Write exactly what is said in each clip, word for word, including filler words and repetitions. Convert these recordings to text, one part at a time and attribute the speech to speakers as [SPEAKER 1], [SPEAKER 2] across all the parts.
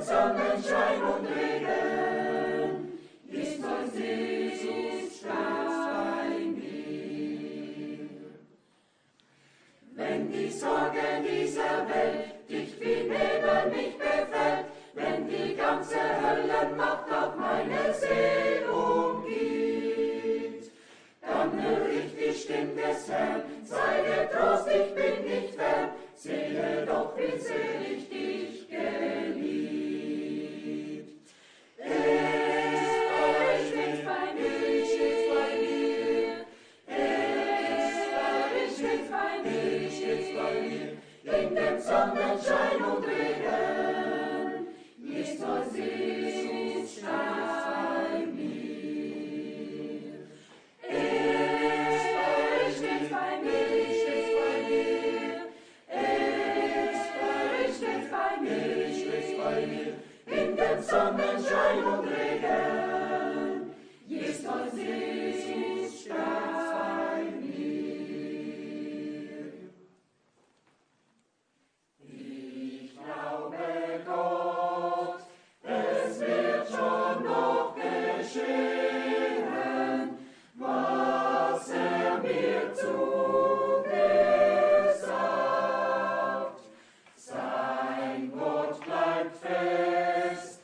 [SPEAKER 1] Sonnenschein und Regen, Jesus ist bei mir. Wenn die Sorge dieser Welt dich wie Nebel mich befällt, wenn die ganze Höllenmacht auf meine Seele umgeht, dann hör ich die Stimme des Herrn, sei getrost, ich bin nicht fern, sehe doch, wie sehr ich dich geliebt. Er steht bei mir, steht bei mir, er steht bei mir, steht bei mir, in dem Sonnenschein und Regen, Jesus ist bei mir. Er steht bei mir, steht bei mir, er steht bei mir, steht bei mir, in dem Sonnenschein und Regen, Jesus ist bei mir. Ich glaube Gott, es wird schon noch geschehen, was er mir zugesagt. Sein Wort bleibt fest,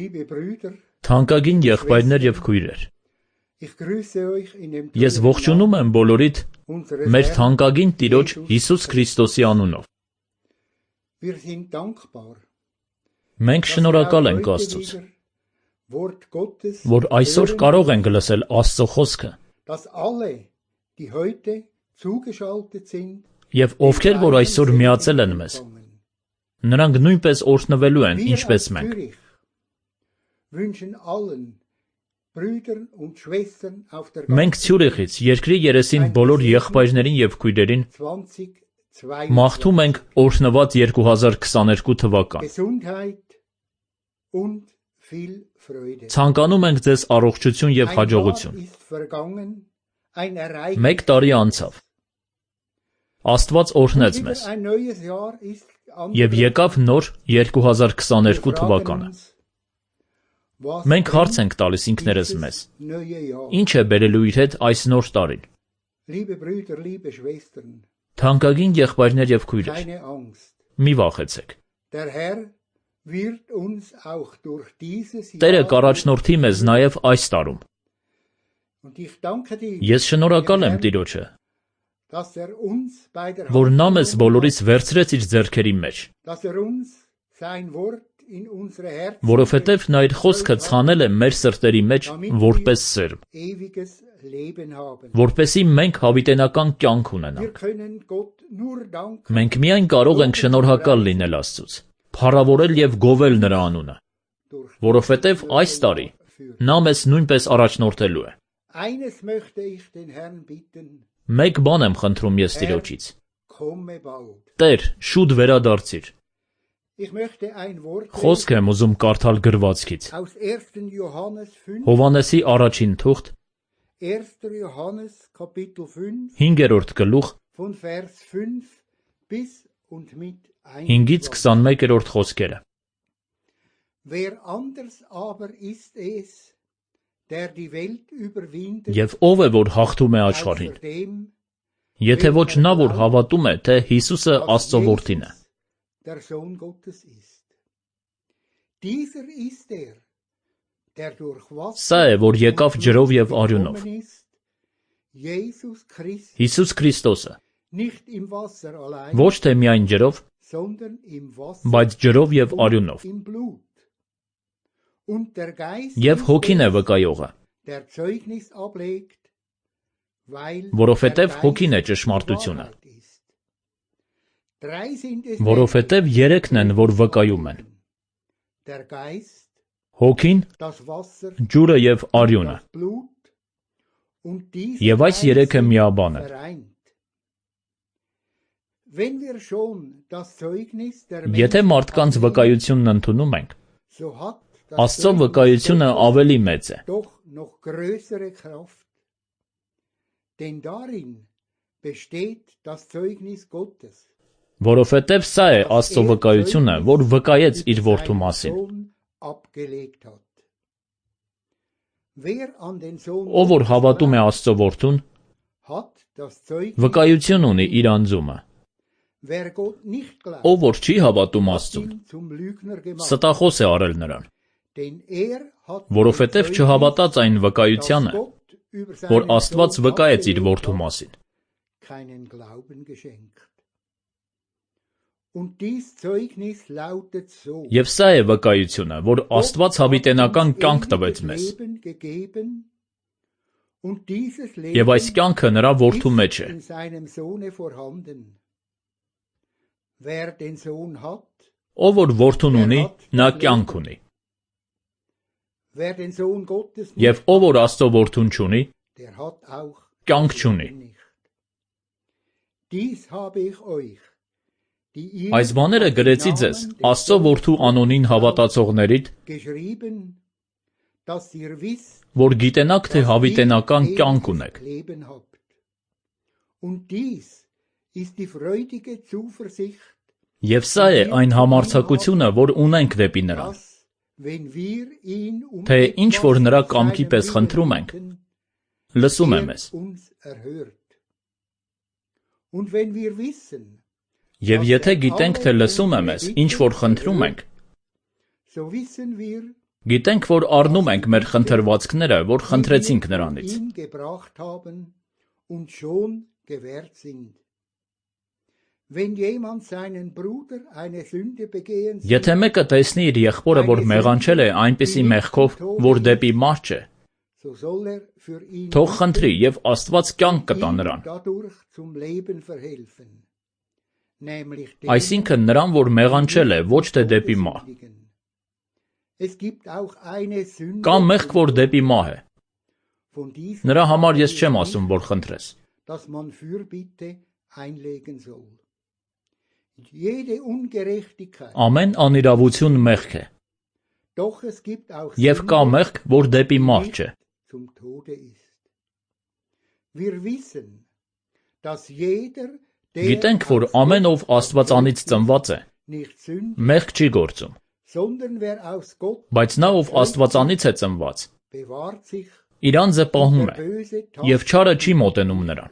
[SPEAKER 2] Liebe Brüder,
[SPEAKER 3] Թանկագին եղբայրներ եւ քույրեր,
[SPEAKER 2] ich grüße euch in dem
[SPEAKER 3] ես ողջունում եմ բոլորիդ
[SPEAKER 2] unseres
[SPEAKER 3] մեր
[SPEAKER 2] Herrn.
[SPEAKER 3] թանկագին Տիրոջ Հիսուս Քրիստոսի անունով։
[SPEAKER 2] Wir sind dankbar,
[SPEAKER 3] Մենք
[SPEAKER 2] dass wir
[SPEAKER 3] շնորհակալ
[SPEAKER 2] auch
[SPEAKER 3] ենք
[SPEAKER 2] heute
[SPEAKER 3] Աստծուց,
[SPEAKER 2] wieder Wort Gottes
[SPEAKER 3] որ այսօր
[SPEAKER 2] hören,
[SPEAKER 3] կարող ենք լսել Աստծո խոսքը,
[SPEAKER 2] dass alle, die heute zugeschaltet sind,
[SPEAKER 3] եւ ովքեր որ այսօր միացել են մեզ, նրանք նույնպես օրհնվելու են,
[SPEAKER 2] wir
[SPEAKER 3] ինչպես
[SPEAKER 2] aus
[SPEAKER 3] մենք։
[SPEAKER 2] Zürich wünschen allen Brüdern und Schwestern auf der
[SPEAKER 3] Մենք
[SPEAKER 2] ganzen
[SPEAKER 3] Ցյուրիխից երկրի երեսին բոլոր եղբայրներին եւ քույրերին
[SPEAKER 2] zwanzig
[SPEAKER 3] մաղթում ենք օրհնված երկու հազար քսաներկու թվական։
[SPEAKER 2] Gesundheit und viel Freude.
[SPEAKER 3] Ցանկանում ենք ձեզ առողջություն եւ
[SPEAKER 2] Ein
[SPEAKER 3] հաջողություն։
[SPEAKER 2] Jahr ist vergangen, ein Ereignis.
[SPEAKER 3] Մեկ տարի անցավ։ Աստված օրհնեց
[SPEAKER 2] Wieder
[SPEAKER 3] մեզ
[SPEAKER 2] ein neues Jahr ist
[SPEAKER 3] եւ
[SPEAKER 2] angebrochen.
[SPEAKER 3] եկավ նոր երկու հազար քսաներկու
[SPEAKER 2] Wir
[SPEAKER 3] թվականը։
[SPEAKER 2] fragen uns, was
[SPEAKER 3] Մենք հարց
[SPEAKER 2] bringt
[SPEAKER 3] ենք տալիս ինքներս
[SPEAKER 2] dieses
[SPEAKER 3] մեզ.
[SPEAKER 2] neue Jahr?
[SPEAKER 3] Ինչ է բերելու իր հետ այս նոր տարին։
[SPEAKER 2] Liebe Brüder, liebe Schwestern,
[SPEAKER 3] Թանկագին եղբայրներ եւ քույրեր,
[SPEAKER 2] keine Angst.
[SPEAKER 3] մի վախեցեք։
[SPEAKER 2] Der Herr wird uns auch durch dieses
[SPEAKER 3] Տերը
[SPEAKER 2] Jahr
[SPEAKER 3] կառաջնորդի մեզ նաեւ այս տարում։
[SPEAKER 2] und ich danke dir,
[SPEAKER 3] Ես շնորհակալ եմ
[SPEAKER 2] Herrn,
[SPEAKER 3] Տիրոջը,
[SPEAKER 2] dass er uns bei der
[SPEAKER 3] որ
[SPEAKER 2] Hand
[SPEAKER 3] նա մեզ
[SPEAKER 2] genommen
[SPEAKER 3] բոլորից վերցրեց իր ձեռքերի մեջ,
[SPEAKER 2] hat, dass er uns sein Wort in unsere Herzen
[SPEAKER 3] որովհետեւ նա իր խոսքը ցանել է մեր սրտերի մեջ որպես սերմ,
[SPEAKER 2] ewiges Leben haben.
[SPEAKER 3] որպեսզի մենք հավիտենական կյանք
[SPEAKER 2] Wir
[SPEAKER 3] ունենանք։
[SPEAKER 2] können Gott nur danken,
[SPEAKER 3] Մենք միայն կարող ենք շնորհակալ լինել Աստծուց, փառավորել եւ գովել նրա անունը,
[SPEAKER 2] durch
[SPEAKER 3] որովհետեւ այս տարի
[SPEAKER 2] führen.
[SPEAKER 3] նա մեզ նույնպես առաջնորդելու է։
[SPEAKER 2] Eines möchte ich den Herrn bitten,
[SPEAKER 3] Մեկ բան եմ խնդրում ես Տիրոջից.
[SPEAKER 2] komme bald.
[SPEAKER 3] Տեր, շուտ վերադարձիր։
[SPEAKER 2] Ich möchte ein Wort
[SPEAKER 3] Խոսք եմ ուզում կարդալ գրվածքից։
[SPEAKER 2] aus ersten Johannes fünf,
[SPEAKER 3] Հովանեսի առաջին թուղթ,
[SPEAKER 2] erster Johannes Kapitel fünf,
[SPEAKER 3] հինգերորդ գլուխ,
[SPEAKER 2] von Vers fünf bis und mit
[SPEAKER 3] հինգից
[SPEAKER 2] einundzwanzig.
[SPEAKER 3] քսանմեկերորդ խոսքերը։
[SPEAKER 2] Wer anders aber ist es, der die Welt überwindet,
[SPEAKER 3] Եվ ով է որ հաղթում է աշխարհին։
[SPEAKER 2] außer dem,
[SPEAKER 3] Եթե ոչ նա որ հավատում է, թե Հիսուսը Աստծո որդին է։
[SPEAKER 2] der Sohn Gottes ist. Dieser ist er, der durch
[SPEAKER 3] Սա է, որ եկավ ջրով եւ արյունով։
[SPEAKER 2] gekommen ist, Jesus Christus,
[SPEAKER 3] Հիսուս Քրիստոսը,
[SPEAKER 2] nicht im Wasser allein,
[SPEAKER 3] ոչ թե միայն ջրով,
[SPEAKER 2] sondern im Wasser
[SPEAKER 3] բայց ջրով եւ
[SPEAKER 2] und
[SPEAKER 3] արյունով։
[SPEAKER 2] im Blut. Und der Geist
[SPEAKER 3] Եվ
[SPEAKER 2] ist
[SPEAKER 3] հոգին է
[SPEAKER 2] es,
[SPEAKER 3] վկայողը,
[SPEAKER 2] der Zeugnis ablegt, weil
[SPEAKER 3] որովհետև
[SPEAKER 2] der Geist
[SPEAKER 3] հոգին է
[SPEAKER 2] die
[SPEAKER 3] ճշմարտությունը։
[SPEAKER 2] Wahrheit ist. Drei sind es
[SPEAKER 3] Որովհետև երեքն են, որ վկայում են.
[SPEAKER 2] der Geist,
[SPEAKER 3] հոգին,
[SPEAKER 2] das Wasser,
[SPEAKER 3] ջուրը եւ արյունը։
[SPEAKER 2] das Blut und diese
[SPEAKER 3] Եվ այս
[SPEAKER 2] drei
[SPEAKER 3] երեքը
[SPEAKER 2] sind
[SPEAKER 3] միաբան են։
[SPEAKER 2] vereint. Wenn wir schon das Zeugnis der
[SPEAKER 3] Եթե
[SPEAKER 2] Menschen
[SPEAKER 3] մարդկանց
[SPEAKER 2] annehmen,
[SPEAKER 3] վկայությունն ընդունում ենք,
[SPEAKER 2] so hat das
[SPEAKER 3] Աստծո
[SPEAKER 2] Zeugnis
[SPEAKER 3] վկայությունը
[SPEAKER 2] Gottes
[SPEAKER 3] ավելի մեծ է,
[SPEAKER 2] doch noch größere Kraft. Denn darin besteht das Zeugnis Gottes.
[SPEAKER 3] որովհետև սա է Աստծո վկայությունը, որ վկայեց իր որդու մասին։
[SPEAKER 2] Abgelegt hat. Wer an den Sohn
[SPEAKER 3] Ով որ
[SPEAKER 2] Gottes
[SPEAKER 3] հավատում է
[SPEAKER 2] glaubt,
[SPEAKER 3] Աստծո որդուն,
[SPEAKER 2] hat das Zeugnis.
[SPEAKER 3] վկայություն ունի իր անձումը։
[SPEAKER 2] Wer Gott nicht glaubt,
[SPEAKER 3] Ով որ չի հավատում
[SPEAKER 2] hat
[SPEAKER 3] Աստծուն,
[SPEAKER 2] ihn zum Lügner gemacht.
[SPEAKER 3] ստախոս է արել նրան,
[SPEAKER 2] Denn er hat
[SPEAKER 3] որովհետև
[SPEAKER 2] dem Zeugnis,
[SPEAKER 3] չհավատաց այն
[SPEAKER 2] das
[SPEAKER 3] վկայությանը,
[SPEAKER 2] Gott über
[SPEAKER 3] որ
[SPEAKER 2] seinen
[SPEAKER 3] Աստված
[SPEAKER 2] Sohn
[SPEAKER 3] վկայեց իր
[SPEAKER 2] abgelegt
[SPEAKER 3] որդու
[SPEAKER 2] hat,
[SPEAKER 3] մասին։
[SPEAKER 2] keinen Glauben geschenkt. Und dies Zeugnis lautet so.
[SPEAKER 3] Եվ սա է վկայությունը, որ Աստված հավիտենական կյանք տվեց մեզ, եւ այս կյանքը նրա որդու մեջ է։ Ով որ որդուն ունի, նա կյանք ունի, եւ ով որ Աստծո որդուն չունի, կյանք չունի։ Այս բաները գրեցի ձեզ Աստծո որդու անոնին հավատացողներիդ, որ գիտենաք, թե հավիտենական կյանք ունեք։ Եվ սա է այն համարձակությունը, որ ունենք դեպի նրան, թե ինչ որ նրա կամքի պես խնդրում ենք, լսում է մեզ։ Եվ եթե գիտենք, թե լսում է մեզ, ինչ որ խնդրում ենք, Գիտենք, որ առնում ենք մեր խնդրվածքները, որ խնդրեցինք նրանից։ Եթե մեկը տեսնի իր եղբորը, որ մեղանչել է այնպիսի մեղքով, որ դեպի մարդ չէ, թող խնդրի և Աստված կյանք կտա նրան։ Այսինքն նրան, որ մեղանչել է, ոչ թե դեպի մահ։ Կա մեղք, որ դեպի մահ է։ Նրա համար ես չեմ ասում, որ խնդրես։ Ամեն անիրավություն մեղք է։ Եվ կա մեղք, որ դեպի մահ չէ։ Գիտենք, որ ամեն ով Աստվածանից ծնված է, մեղք չի գործում, բայց նա, ով Աստվածանից է ծնված, իր անձը պահում է, և չարը չի մոտենում նրան։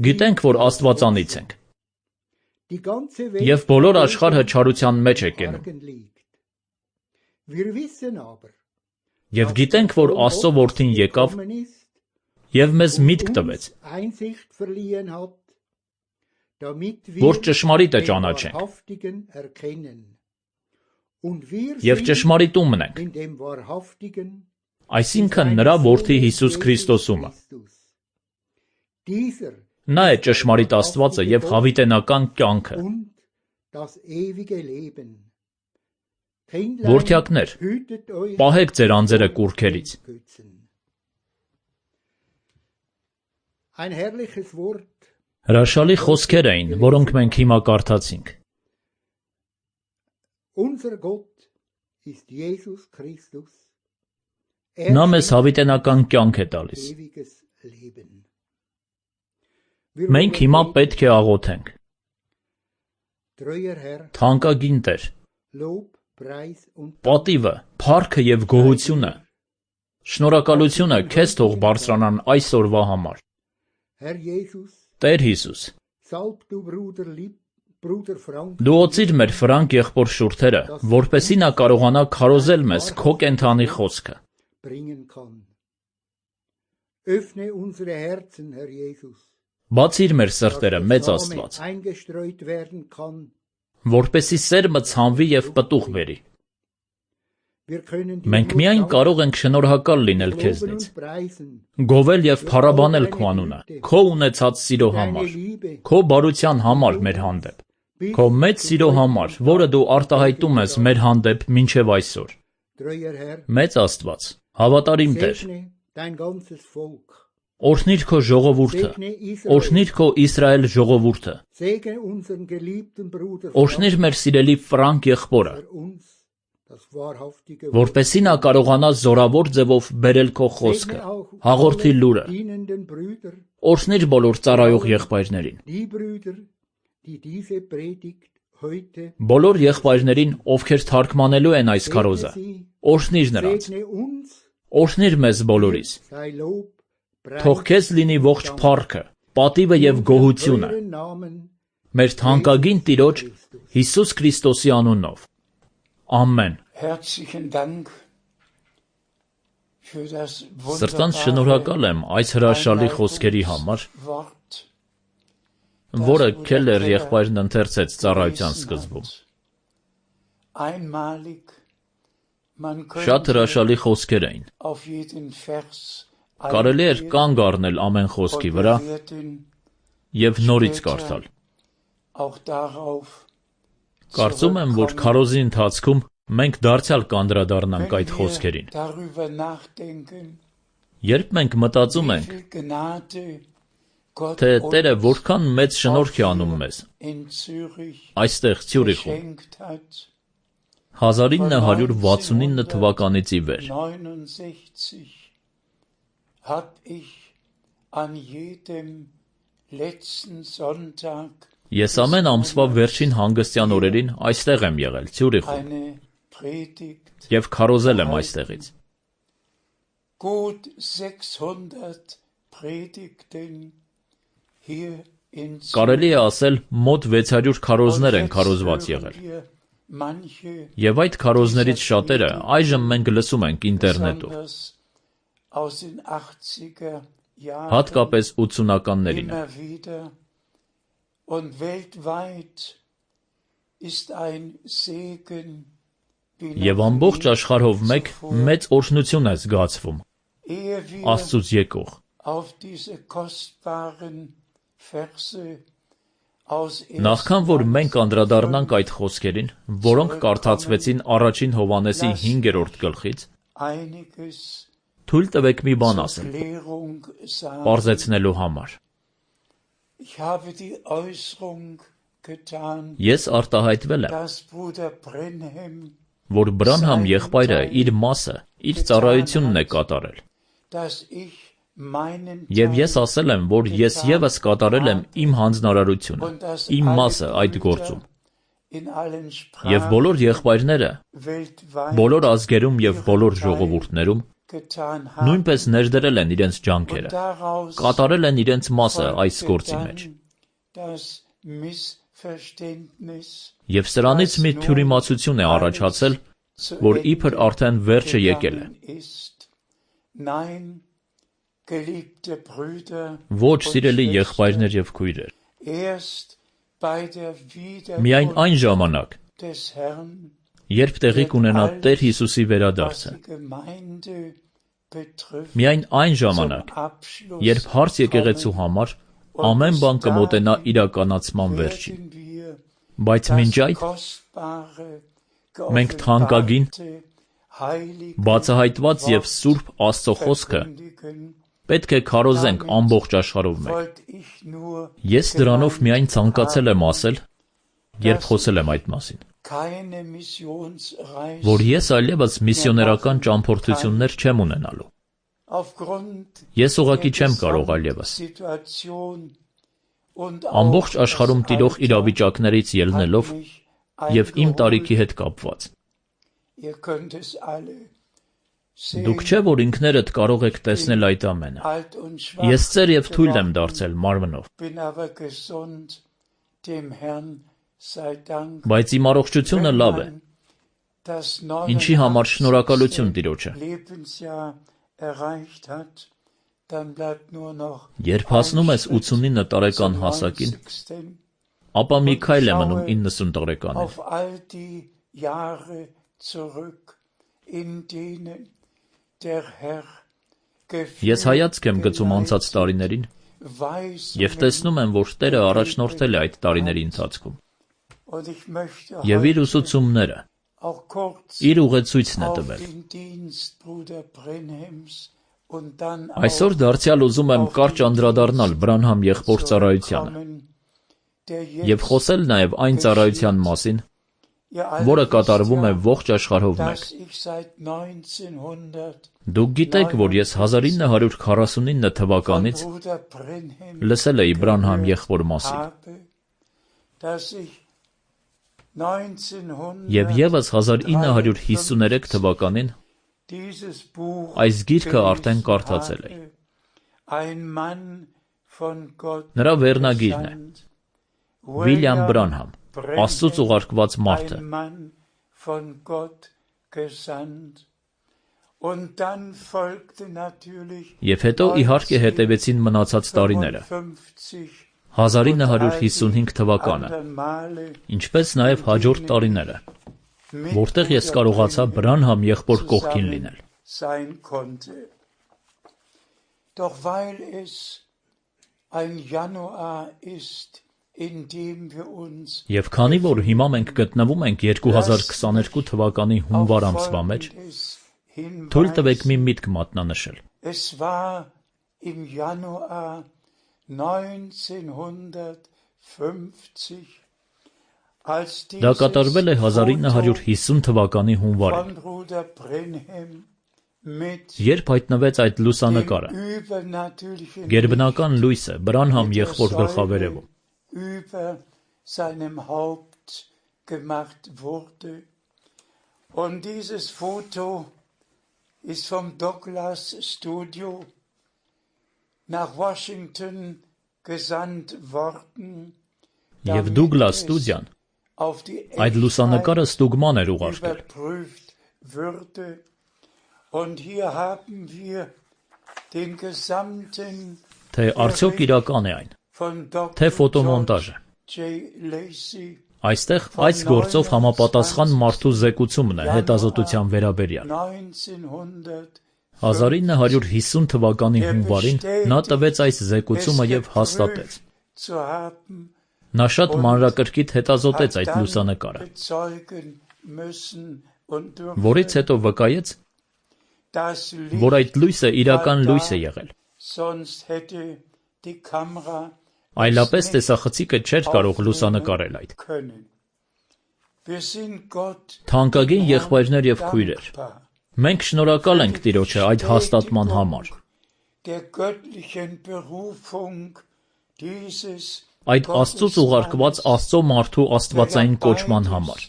[SPEAKER 3] Գիտենք, որ Աստվածանից ենք, և բոլոր աշխարհը չարության մեջ է կենում։ Եվ գիտենք, որ Աստծո Որդին եկավ և մեզ միտք տվեց, որ ճշմարիտը ճանաչենք և ճշմարիտումն ենք, այսինքն նրա Որդի Հիսուս Քրիստոսումը։ Նա է ճշմարիտ Աստվածը և հավիտենական կյանքը։ Որդյակներ, պահեք ձեր անձերը կուռքերից։ Հրաշալի խոսքեր էին, որոնք մենք հիմա կարդացինք։ Նա մեզ հավիտենական կյանք է տալիս։ Մենք հիմա պետք է աղոթենք։ Թանկագին Տեր, պատիվը, փառքը և գոհությունը, շնորհակալությունը քեզ թող բարձրանան այս օրվա համար։ Տեր Հիսուս, դու օծիր մեր Ֆրանկ եղբոր շուրթերը, որպեսզի նա կարողանա քարոզել մեզ քո կենդանի խոսքը։ Բացիր մեր սրտերը, մեծ Աստված, որպեսզի սերմը ցանվի և պտուղ բերի։ Մենք միայն կարող ենք շնորհակալ լինել քեզնից, գովել և փառաբանել քո անունը, քո ունեցած սիրո համար, քո բարության համար մեր հանդեպ, քո մեծ սիրո համար, որը դու արտահայտում ես մեր հանդեպ մինչև այսօր։ Մեծ Աստված, հավատարիմ Տեր, օրհնիր քո ժողովուրդը, օրհնիր քո Իսրայել ժողովուրդը, օրհնիր մեր սիրելի Ֆրանկ եղբորը, որպեսզի նա կարողանա զորավոր ձևով բերել քո խոսքը, հաղորդի լուրը, օրհնիր բոլոր ծառայող եղբայրներին, բոլոր եղբայրներին, ովքեր թարգմանելու են այս քարոզը, օրհնիր նրանց, օրհնիր մեզ բոլորիս, թող քեզ լինի ողջ փառքը, պատիվը և գոհությունը, մեր թանկագին Տիրոջ Հիսուս Քրիստոսի անունով։ Ամեն։ Սրտանց շնորհակալ եմ այս հրաշալի խոսքերի համար, որը Քելլեր եղբայրն ընթերցեց ծառայության սկզբում։ Շատ հրաշալի խոսքեր էին։ Կարելի էր կանգ առնել ամեն խոսքի վրա և նորից կարդալ։ Կարծում եմ, որ քարոզի ընթացքում մենք դարձյալ կանդրադառնանք այդ խոսքերին։ Երբ մենք մտածում ենք, թե Տերը որքան մեծ շնորհք է անում մեզ, այստեղ Ցյուրիխում, հազար ինը հարյուր վաթսունինը թվականից ի վեր, ես ամեն ամսվա վերջին հանգստյան օրերին այստեղ եմ եղել, Ցյուրիխում, և քարոզել եմ այստեղից։ Կարելի է ասել, մոտ վեց հարյուր քարոզներ են քարոզված եղել։ Եվ այդ քարոզներից շատերը այժմ մենք լսում ենք ինտերնետով, հատկապես ութսունականներին։ Եվ ամբողջ աշխարհով մեկ մեծ օրհնություն է զգացվում Աստծուց եկող։ Նախքան որ մենք անդրադառնանք այդ խոսքերին, որոնք կարդացվեցին առաջին Հովհաննեսի հինգերորդ գլխից, թույլ տվեք մի բան ասել, պարզեցնելու համար։ Ես արտահայտվել եմ, որ Բրանհամ եղբայրը իր մասը, իր ծառայությունն է կատարել։ Եվ ես ասել եմ, որ ես ևս կատարել եմ իմ հանձնարարությունը, իմ մասը այդ գործում։ Եվ բոլոր եղբայրները, բոլոր ազգերում և բոլոր ժողովուրդներում նույնպես ներդրել են իրենց ջանքերը, կատարել են իրենց մասը այս գործի մեջ։ Եվ սրանից մի թյուրիմացություն է առաջացել, որ իբր արդեն վերջը եկել է։ Ոչ, սիրելի եղբայրներ և քույրեր, միայն այն ժամանակ, երբ տեղի կունենա Տեր Հիսուսի վերադարձը, միայն այն ժամանակ, երբ հարց եկեղեցու համար ամեն բան կմոտենա իրականացման վերջին։ Բայց մինչ այդ մենք թանկագին, բացահայտված և սուրբ Աստծո խոսքը պետք է քարոզենք ամբողջ աշխարհով մեկ։ Ես դրանով միայն ցանկացել եմ ասել, երբ խոսել եմ այդ մասին, որ ես այլևս միսիոներական ճամփորդություններ չեմ ունենալու։ Ես ուղղակի չեմ կարող այլևս։ Ամբողջ աշխարհում տիրող իրավիճակներից ելնելով և իմ տարիքի հետ կապված։ Դուք չէ՞ որ ինքներդ կարող եք տեսնել այդ ամենը։ Ես ծեր և թույլ եմ դարձել մարմնով։ Բայց իմ առողջությունը լավ է, ինչի համար շնորհակալություն Տիրոջը։ Երբ հասնում ես ութսունինը տարեկան հասակին, ապա մի քայլ է մնում իննսուն տարեկանին։ Ես հայացք եմ գցում անցած տարիներին և տեսնում եմ, որ Տերը առաջնորդել է այդ տարիների ընթացքում և իր ուսուցումները, իր ուղեցույցն է տվել։ Այսօր դարձյալ ուզում եմ կարճ անդրադառնալ Բրանհամ եղբոր ծառայությանը և խոսել նաև այն ծառայության մասին, որը կատարվում է ողջ աշխարհով մեկ։ Դուք գիտեք, որ ես հազար ինը հարյուր քառասունինը թվականից լսել էի Բրանհամ եղբոր մասին։ Եվ ևս հազար ինը հարյուր հիսուներեք թվականին այս գիրքը արդեն կարդացել էի։ Նրա վերնագիրն է Վիլյամ Բրանհամ, Աստծուց ուղարկված մարդը։ Եվ հետո իհարկե հետևեցին մնացած տարիները, հազար ինը հարյուր հիսունհինգ թվականը, ինչպես նաև հաջորդ տարիները, որտեղ ես կարողացա Բրանհամ եղբոր կողքին լինել։ Եվ քանի որ հիմա մենք գտնվում ենք երկու հազար քսաներկու թվականի հունվար ամսվա մեջ, թույլ տվեք մի միտք մատնանշել։ Դա կատարվել է հազար ինը հարյուր հիսուն թվականի հունվարին, երբ հայտնվեց այդ լուսանկարը, գերբնական լույսը Բրանհամ եղբոր գլխավերևում։
[SPEAKER 4] Und dieses Foto ist vom Douglas Studio nach Washington gesandt worden.
[SPEAKER 3] Եվ Դուգլաս ստուդիան
[SPEAKER 4] auf die
[SPEAKER 3] Այդ լուսանկարը ստուգման էր ուղարկել։
[SPEAKER 4] überprüft würde. Und hier haben wir den gesamten
[SPEAKER 3] Թե արդյոք իրական է այն,
[SPEAKER 4] von
[SPEAKER 3] թե
[SPEAKER 4] Doktor
[SPEAKER 3] ֆոտոմոնտաժ է։
[SPEAKER 4] J. Lacey
[SPEAKER 3] Այստեղ այս գործով համապատասխան մարդու զեկուցումն է հետազոտության վերաբերյալ։
[SPEAKER 4] neunzehnhundert
[SPEAKER 3] հազար ինը հարյուր հիսուն թվականի հունվարին նա տվեց այս զեկուցումը եւ հաստատեց։
[SPEAKER 4] zu haben,
[SPEAKER 3] Նա շատ մանրակրկիտ հետազոտեց այդ լուսանկարը,
[SPEAKER 4] bezeugen müssen und dürfen,
[SPEAKER 3] որից հետո վկայեց,
[SPEAKER 4] das
[SPEAKER 3] որ
[SPEAKER 4] Licht
[SPEAKER 3] այդ լույսը իրական
[SPEAKER 4] war
[SPEAKER 3] լույս է
[SPEAKER 4] da,
[SPEAKER 3] եղել։
[SPEAKER 4] sonst hätte die Kamera
[SPEAKER 3] Այլապես տեսախցիկը չէր կարող լուսանկարել այդ։
[SPEAKER 4] können. Wir sind Gott
[SPEAKER 3] Թանկագին եղբայրներ եւ քույրեր,
[SPEAKER 4] dankbar.
[SPEAKER 3] մենք շնորհակալ ենք Տիրոջը այդ հաստատման համար,
[SPEAKER 4] Der göttlichen Berufung dieses
[SPEAKER 3] այդ Աստծուց ուղարկված Աստծո մարդու աստվածային կոչման համար։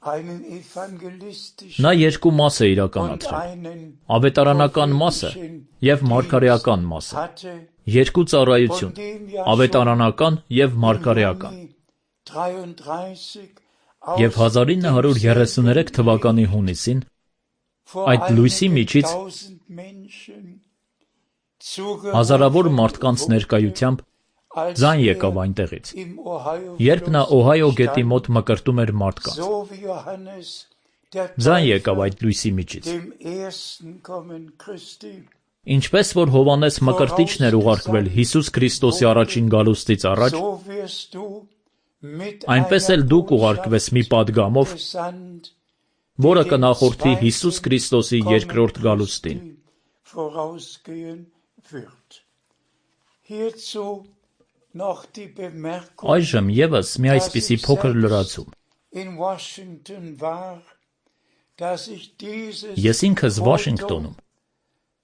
[SPEAKER 4] einen evangelistischen
[SPEAKER 3] Նա երկու մաս է
[SPEAKER 4] und
[SPEAKER 3] իրականացրել՝
[SPEAKER 4] einen
[SPEAKER 3] ավետարանական մասը եւ մարգարեական մասը։
[SPEAKER 4] hatte,
[SPEAKER 3] Երկու ծառայություն՝
[SPEAKER 4] von dem ja
[SPEAKER 3] ավետարանական եւ
[SPEAKER 4] schon
[SPEAKER 3] մարգարեական։
[SPEAKER 4] im Juni dreiunddreißig
[SPEAKER 3] Եվ
[SPEAKER 4] aus
[SPEAKER 3] հազար ինը հարյուր երեսուներեք թվականի հունիսին
[SPEAKER 4] vor
[SPEAKER 3] այդ լույսի
[SPEAKER 4] einigen
[SPEAKER 3] միջից
[SPEAKER 4] tausend Menschen zugerufen
[SPEAKER 3] հազարավոր մարդկանց
[SPEAKER 4] wurde,
[SPEAKER 3] ներկայությամբ
[SPEAKER 4] als
[SPEAKER 3] ձայն
[SPEAKER 4] er
[SPEAKER 3] եկավ այնտեղից,
[SPEAKER 4] im Ohio
[SPEAKER 3] երբ նա
[SPEAKER 4] Fluss
[SPEAKER 3] Օհայո գետի
[SPEAKER 4] stand,
[SPEAKER 3] մոտ մկրտում էր մարդկանց։
[SPEAKER 4] so wie Johannes der
[SPEAKER 3] Ձայն եկավ
[SPEAKER 4] Täufer
[SPEAKER 3] այդ լույսի միջից,
[SPEAKER 4] dem ersten Kommen Christi
[SPEAKER 3] ինչպես որ Հովանես Մկրտիչն էր ուղարկվել Հիսուս Քրիստոսի առաջին գալուստից առաջ,
[SPEAKER 4] so wirst du mit
[SPEAKER 3] այնպես էլ
[SPEAKER 4] einer
[SPEAKER 3] դուք ուղարկվես մի պատգամով,
[SPEAKER 4] gesandt,
[SPEAKER 3] որը կնախորդի Հիսուս Քրիստոսի երկրորդ գալուստին։
[SPEAKER 4] vorausgehen wird. Hierzu noch die Bemerkung,
[SPEAKER 3] Այժմ եւս մի այսպիսի փոքր լրացում։
[SPEAKER 4] in Washington war, dass ich dieses
[SPEAKER 3] Ես ինքս
[SPEAKER 4] Foto
[SPEAKER 3] Վաշինգտոնում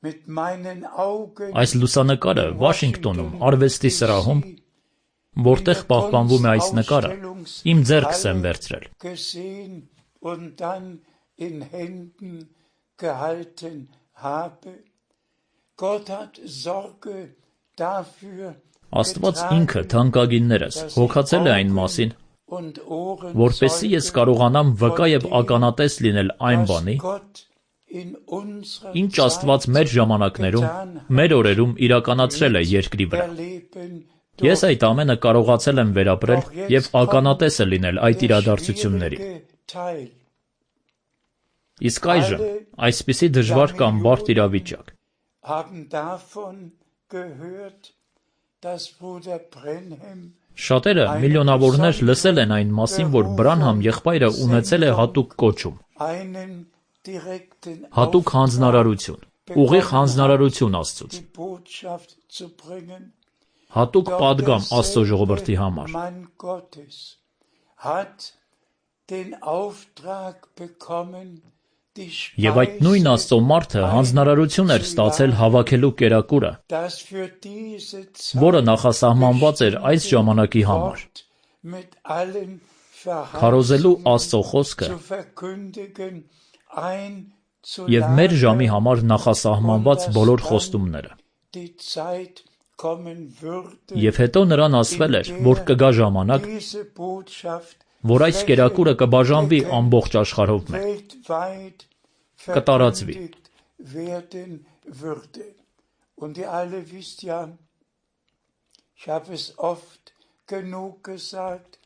[SPEAKER 4] mit meinen Augen
[SPEAKER 3] այս լուսանկարը Վաշինգտոնում արվեստի սրահում, որտեղ պահպանվում է այս նկարը, իմ ձեռքս եմ վերցրել։
[SPEAKER 4] gesehen und dann in Händen gehalten habe. Gott hat Sorge dafür
[SPEAKER 3] Աստված ինքը թանկագիններս հոգացել է այն մասին,
[SPEAKER 4] und Ohren
[SPEAKER 3] որպեսզի ես կարողանամ վկա եւ ականատես լինել այն բանի,
[SPEAKER 4] Gott in unserer
[SPEAKER 3] ինչ Աստված մեր ժամանակներում, մեր օրերում իրականացրել է երկրի վրա։
[SPEAKER 4] erleben
[SPEAKER 3] Ես այդ ամենը կարողացել եմ վերապրել եւ ականատեսը լինել այդ իրադարձությունների։
[SPEAKER 4] Teil.
[SPEAKER 3] Իսկ այժմ այսպիսի դժվար կամ բարդ իրավիճակ։
[SPEAKER 4] Haben davon gehört, dass Bruder Brenhem
[SPEAKER 3] Շատերը միլիոնավորներ լսել են այն մասին, որ Բրանհամ եղբայրը ունեցել է հատուկ կոչում,
[SPEAKER 4] einen direkten
[SPEAKER 3] հատուկ հանձնարարություն, ուղիղ հանձնարարություն Աստծուց,
[SPEAKER 4] die Botschaft zu bringen.
[SPEAKER 3] հատուկ պատգամ Աստծո ժողովրդի համար։
[SPEAKER 4] Mann Gottes hat den Auftrag bekommen, die
[SPEAKER 3] Եվ այդ նույն Աստծո մարդը հանձնարարություն էր ստացել հավաքելու կերակուրը,
[SPEAKER 4] das für diese
[SPEAKER 3] որը նախասահմանված էր այս ժամանակի համար,
[SPEAKER 4] Wort mit allen
[SPEAKER 3] քարոզելու Աստծո խոսքը
[SPEAKER 4] zu verkündigen,
[SPEAKER 3] եւ մեր ժամի
[SPEAKER 4] einzuladen,
[SPEAKER 3] համար նախասահմանված բոլոր խոստումները։
[SPEAKER 4] die Zeit kommen würde,
[SPEAKER 3] Եվ հետո նրան ասվել էր, որ կգա ժամանակ,
[SPEAKER 4] diese Botschaft
[SPEAKER 3] որ այս կերակուրը կբաժանվի ամբողջ աշխարհով մեկ,
[SPEAKER 4] weltweit
[SPEAKER 3] կտարածվի։
[SPEAKER 4] verkündigt werden würde. Und ihr alle wisst ja, ich habe es oft genug gesagt,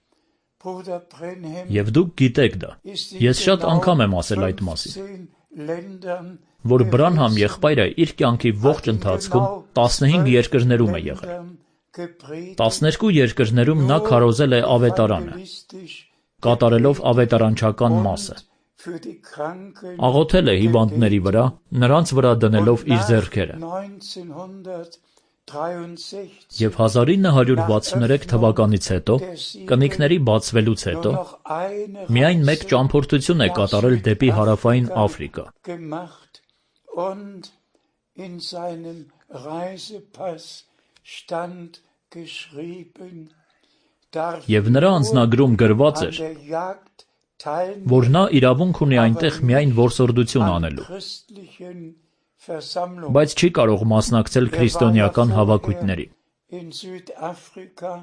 [SPEAKER 4] Bruder Brenhem
[SPEAKER 3] Եվ դուք գիտեք դա։
[SPEAKER 4] ist
[SPEAKER 3] Ես շատ անգամ եմ ասել այդ մասին,
[SPEAKER 4] fünfzehn Ländern
[SPEAKER 3] որ Բրանհամ եղբայրը իր կյանքի ողջ ընթացքում տասնհինգ երկրներում է եղել։
[SPEAKER 4] gepredigt,
[SPEAKER 3] տասներկու երկրներում նա քարոզել է ավետարանը,
[SPEAKER 4] evangelistisch
[SPEAKER 3] կատարելով ավետարանչական մասը։
[SPEAKER 4] für die Kranken
[SPEAKER 3] Աղոթել է հիվանդների վրա, նրանց վրա դնելով իր ձեռքերը։
[SPEAKER 4] neunzehnhundertdreiundsechzig
[SPEAKER 3] Եվ հազար ինը հարյուր վաթսուներեք թվականից հետո, կնիկների բացվելուց հետո,
[SPEAKER 4] nur noch eine
[SPEAKER 3] միայն մեկ
[SPEAKER 4] Reise
[SPEAKER 3] ճամփորդություն է կատարել դեպի հարավային Աֆրիկա։
[SPEAKER 4] gemacht und in seinem Reisepass stand geschrieben, darf
[SPEAKER 3] Եվ նրա անձնագրում գրված
[SPEAKER 4] an
[SPEAKER 3] էր,
[SPEAKER 4] der Jagd teilnehmen,
[SPEAKER 3] որ նա իրավունք ունի այնտեղ միայն որսորդություն
[SPEAKER 4] an
[SPEAKER 3] անելու,
[SPEAKER 4] christlichen Versammlungen.
[SPEAKER 3] բայց չի կարող մասնակցել քրիստոնեական հավաքույթների։
[SPEAKER 4] In Südafrika,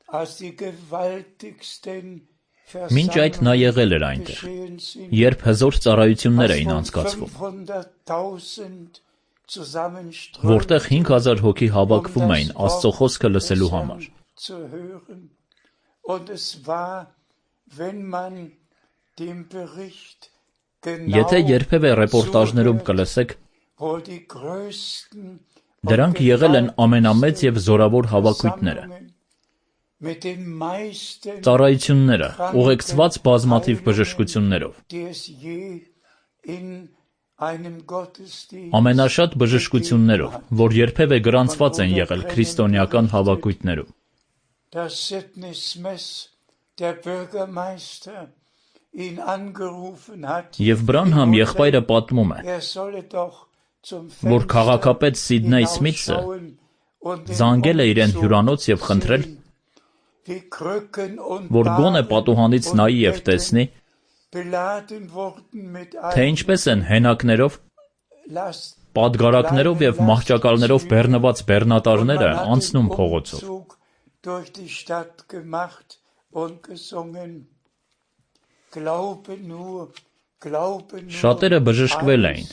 [SPEAKER 4] als die gewaltigsten
[SPEAKER 3] Մինչ այդ նա եղել էր այնտեղ, երբ հզոր ծառայություններ էին անցկացվում, որտեղ հինգ հազար հոգի հավաքվում էին Աստծո խոսքը լսելու համար։ Եթե երբևէ ռեպորտաժներում կլսեք, դրանք եղել են ամենամեծ և զորավոր հավաքույթները, ծառայությունները, ուղեկցված բազմաթիվ բժշկություններով, ամենաշատ բժշկություններով, որ երբևէ գրանցված են եղել քրիստոնեական հավաքույթներում։ Եվ Բրանհամ եղբայրը պատմում է, որ քաղաքապետ Սիդնեյ Սմիթսը զանգել է իրեն հյուրանոց և խնդրել, որ գոնե պատուհանից նայի և տեսնի, թե ինչպես են հենակներով, պատգարակներով և մահճակալներով բեռնված բեռնատարները անցնում փողոցով։ Շատերը բժշկվել էին,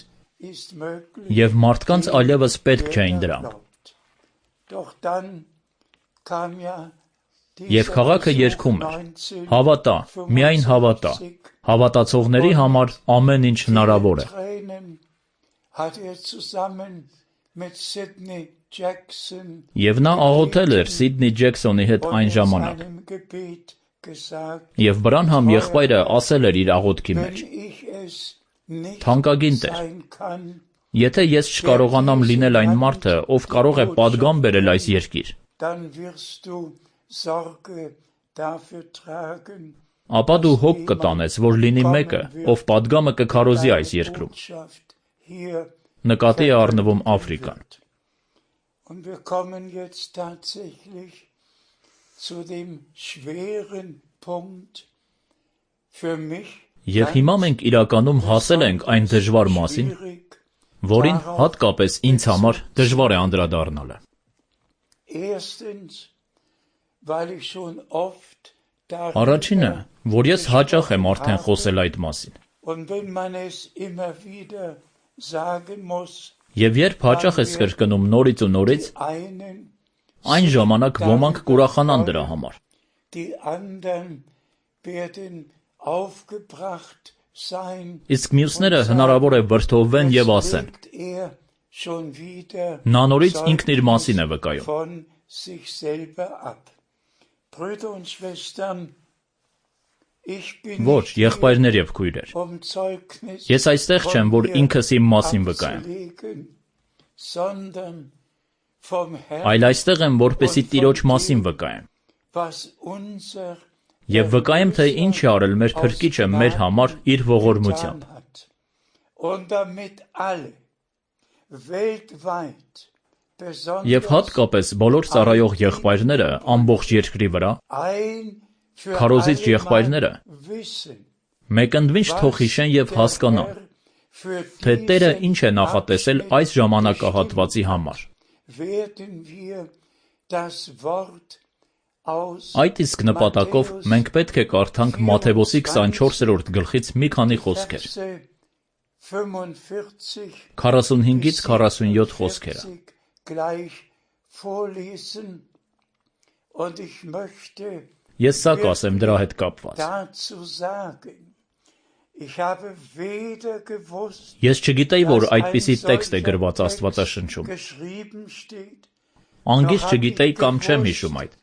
[SPEAKER 3] և մարդկանց այլևս պետք չէին դրանք։ Եվ քաղաքը երգում էր. «Հավատա, միայն հավատա, հավատացողների համար ամեն ինչ հնարավոր է»։ Եվ նա աղոթել էր Սիդնի Ջեքսոնի հետ այն ժամանակ։ Եվ Բրանհամ եղբայրը ասել էր իր աղոթքի մեջ. «Թանկագին Տեր, եթե ես չկարողանամ լինել այն մարդը, ով կարող է պատգամ բերել այս երկիր, ապա դու հոգ կտանես, որ լինի մեկը, ով պատգամը կքարոզի այս երկրում»։ Նկատի է առնվում Աֆրիկան։ Եվ հիմա մենք իրականում հասել ենք այն դժվար մասին, որին հատկապես ինձ համար դժվար է անդրադառնալը։ Առաջինը, որ ես հաճախ եմ արդեն խոսել այդ մասին։ Եվ երբ հաճախ ես կրկնում նորից ու նորից, այն ժամանակ ոմանք կուրախանան դրա համար։ Իսկ մյուսները հնարավոր է վրդովվեն և ասեն. նա նորից ինքն իր մասին է վկայում։ Ոչ, եղբայրներ և քույրեր, ես այստեղ չեմ, որ ինքս իմ մասին վկայեմ, այլ այստեղ եմ, որպեսզի Տիրոջ մասին վկայեմ։ Եվ վկայեմ, թե ինչ է արել մեր Փրկիչը մեր համար իր ողորմությամբ։ Եվ հատկապես բոլոր ծառայող եղբայրները ամբողջ երկրի վրա, քարոզիչ եղբայրները, մեկընդմիշտ թող հիշեն և հասկանան, թե Տերը ինչ է նախատեսել այս ժամանակահատվածի համար։ Այդ իսկ նպատակով մենք պետք է կարդանք Մատթեոս քսանչորսերորդ գլխից մի քանի խոսքեր, քառասունհինգից քառասունյոթ խոսքերը։ Ես սա կասեմ դրա հետ կապված. Ես չգիտեի, որ այդպիսի տեքստ է գրված Աստվածաշնչում։ Անգիր չգիտեի կամ չեմ հիշում այդ։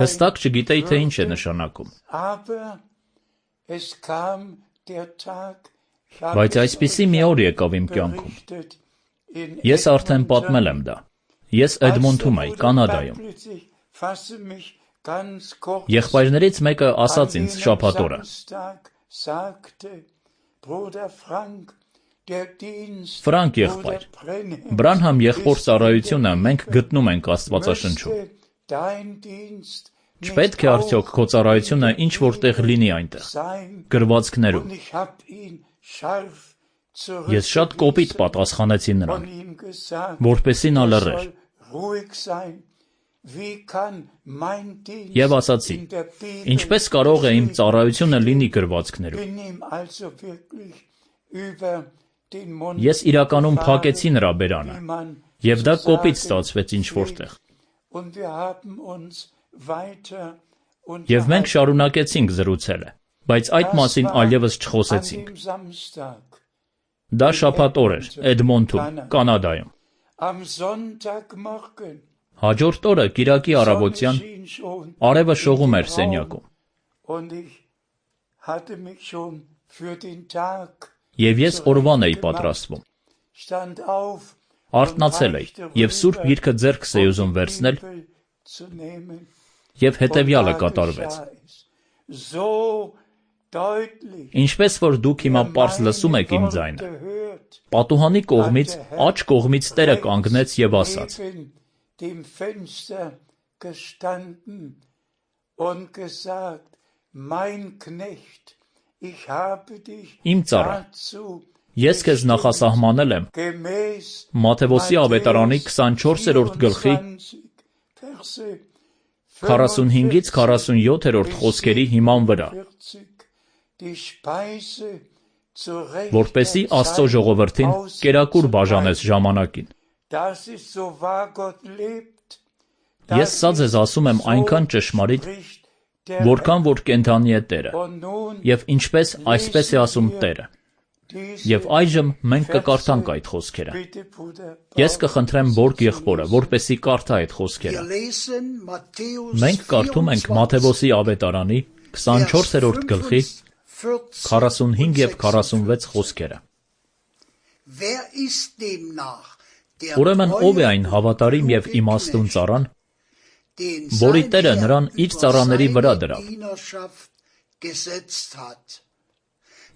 [SPEAKER 3] Հստակ չգիտեի, թե ինչ է նշանակում։ Բայց այսպիսի մի օր եկավ իմ կյանքում։ Ես արդեն պատմել եմ դա։ Ես Էդմոնթում էի, Կանադայում։ Եղբայրներից մեկը ասաց ինձ շաբաթ օրը. Ֆրանկ եղբայր, Բրանհամ եղբոր ծառայությունը մենք գտնում ենք Աստվածաշնչում։ Չպետք է արդյոք քո ծառայությունը ինչ-որ տեղ լինի այնտեղ, գրվածքներում։ Ես շատ կոպիտ պատասխանեցի նրան, որպեսզի նա լռեր։ Եվ ասացի. Ինչպես կարող է իմ ծառայությունը լինի գրվածքներում։ Ես իրականում փակեցի նրա բերանը, եւ դա կոպիտ ստացվեց ինչ-որտեղ։ Եվ մենք շարունակեցինք զրուցելը, բայց այդ մասին այլևս չխոսեցինք։ Դա շաբաթ օր էր Էդմոնտում, Կանադայում։ Հաջորդ օրը կիրակի առավոտյան արևը շողում էր սենյակում։ Եվ ես օրվան էի պատրաստվում։ Արթնացել էի եւ Սուրբ Գիրքը ձեռքս էի ուզում վերցնել, եւ հետեւյալը կատարվեց։ Ինչպես որ դուք հիմա պարզ լսում եք իմ ձայնը, պատուհանի կողմից աջ կողմից Տերը կանգնեց եւ ասաց. Իմ ծառա, ես քեզ նախասահմանել եմ Մատթեոսի ավետարանի քսանչորսերորդ գլխի քառասունհինգից քառասունյոթերորդ խոսքերի հիման վրա, որպեսզի Աստծո ժողովրդին կերակուր բաժանես ժամանակին։ Ես սա ձեզ ասում եմ այնքան ճշմարիտ, որքան որ կենդանի է Տերը, եւ ինչպես այսպես է ասում Տերը։ Եվ այժմ մենք կկարդանք այդ խոսքերը։ Ես կխնդրեմ Բորգ եղբորը, որպեսզի կարդա այդ խոսքերը։ Մենք կարդում ենք Մատթեոսի ավետարանի քսանչորսերորդ գլխի քառասունհինգ եւ քառասունվեց խոսքերը։ Ուրեմն ով է այն հավատարիմ եւ իմաստուն ծառան, որի Տերը նրան իր ծառաների վրա դրավ,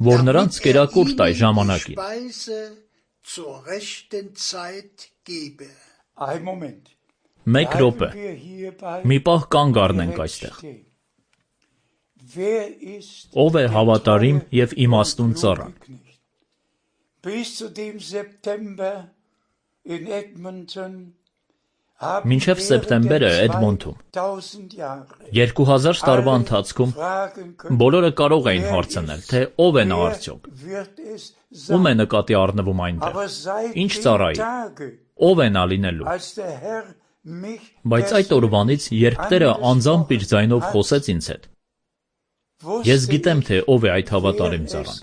[SPEAKER 3] որ նրանց կերակուր տայ ժամանակին։ Մեկ րոպե, մի պահ կանգ առնենք այստեղ։ Ով է հավատարիմ եւ իմաստուն ծառան։ Մինչև սեպտեմբերը Էդմոնտում երկու հազար տարվա ընթացքում բոլորը կարող էին հարցնել, թե ով է նա արդյոք, ում է նկատի առնվում այնտեղ, ինչ ծառայի, ով է նա լինելու։ Բայց այդ օրվանից, երբ Տերը անձամբ իր ձայնով խոսեց ինձ հետ, ես գիտեմ, թե ով է այդ հավատարիմ ծառան։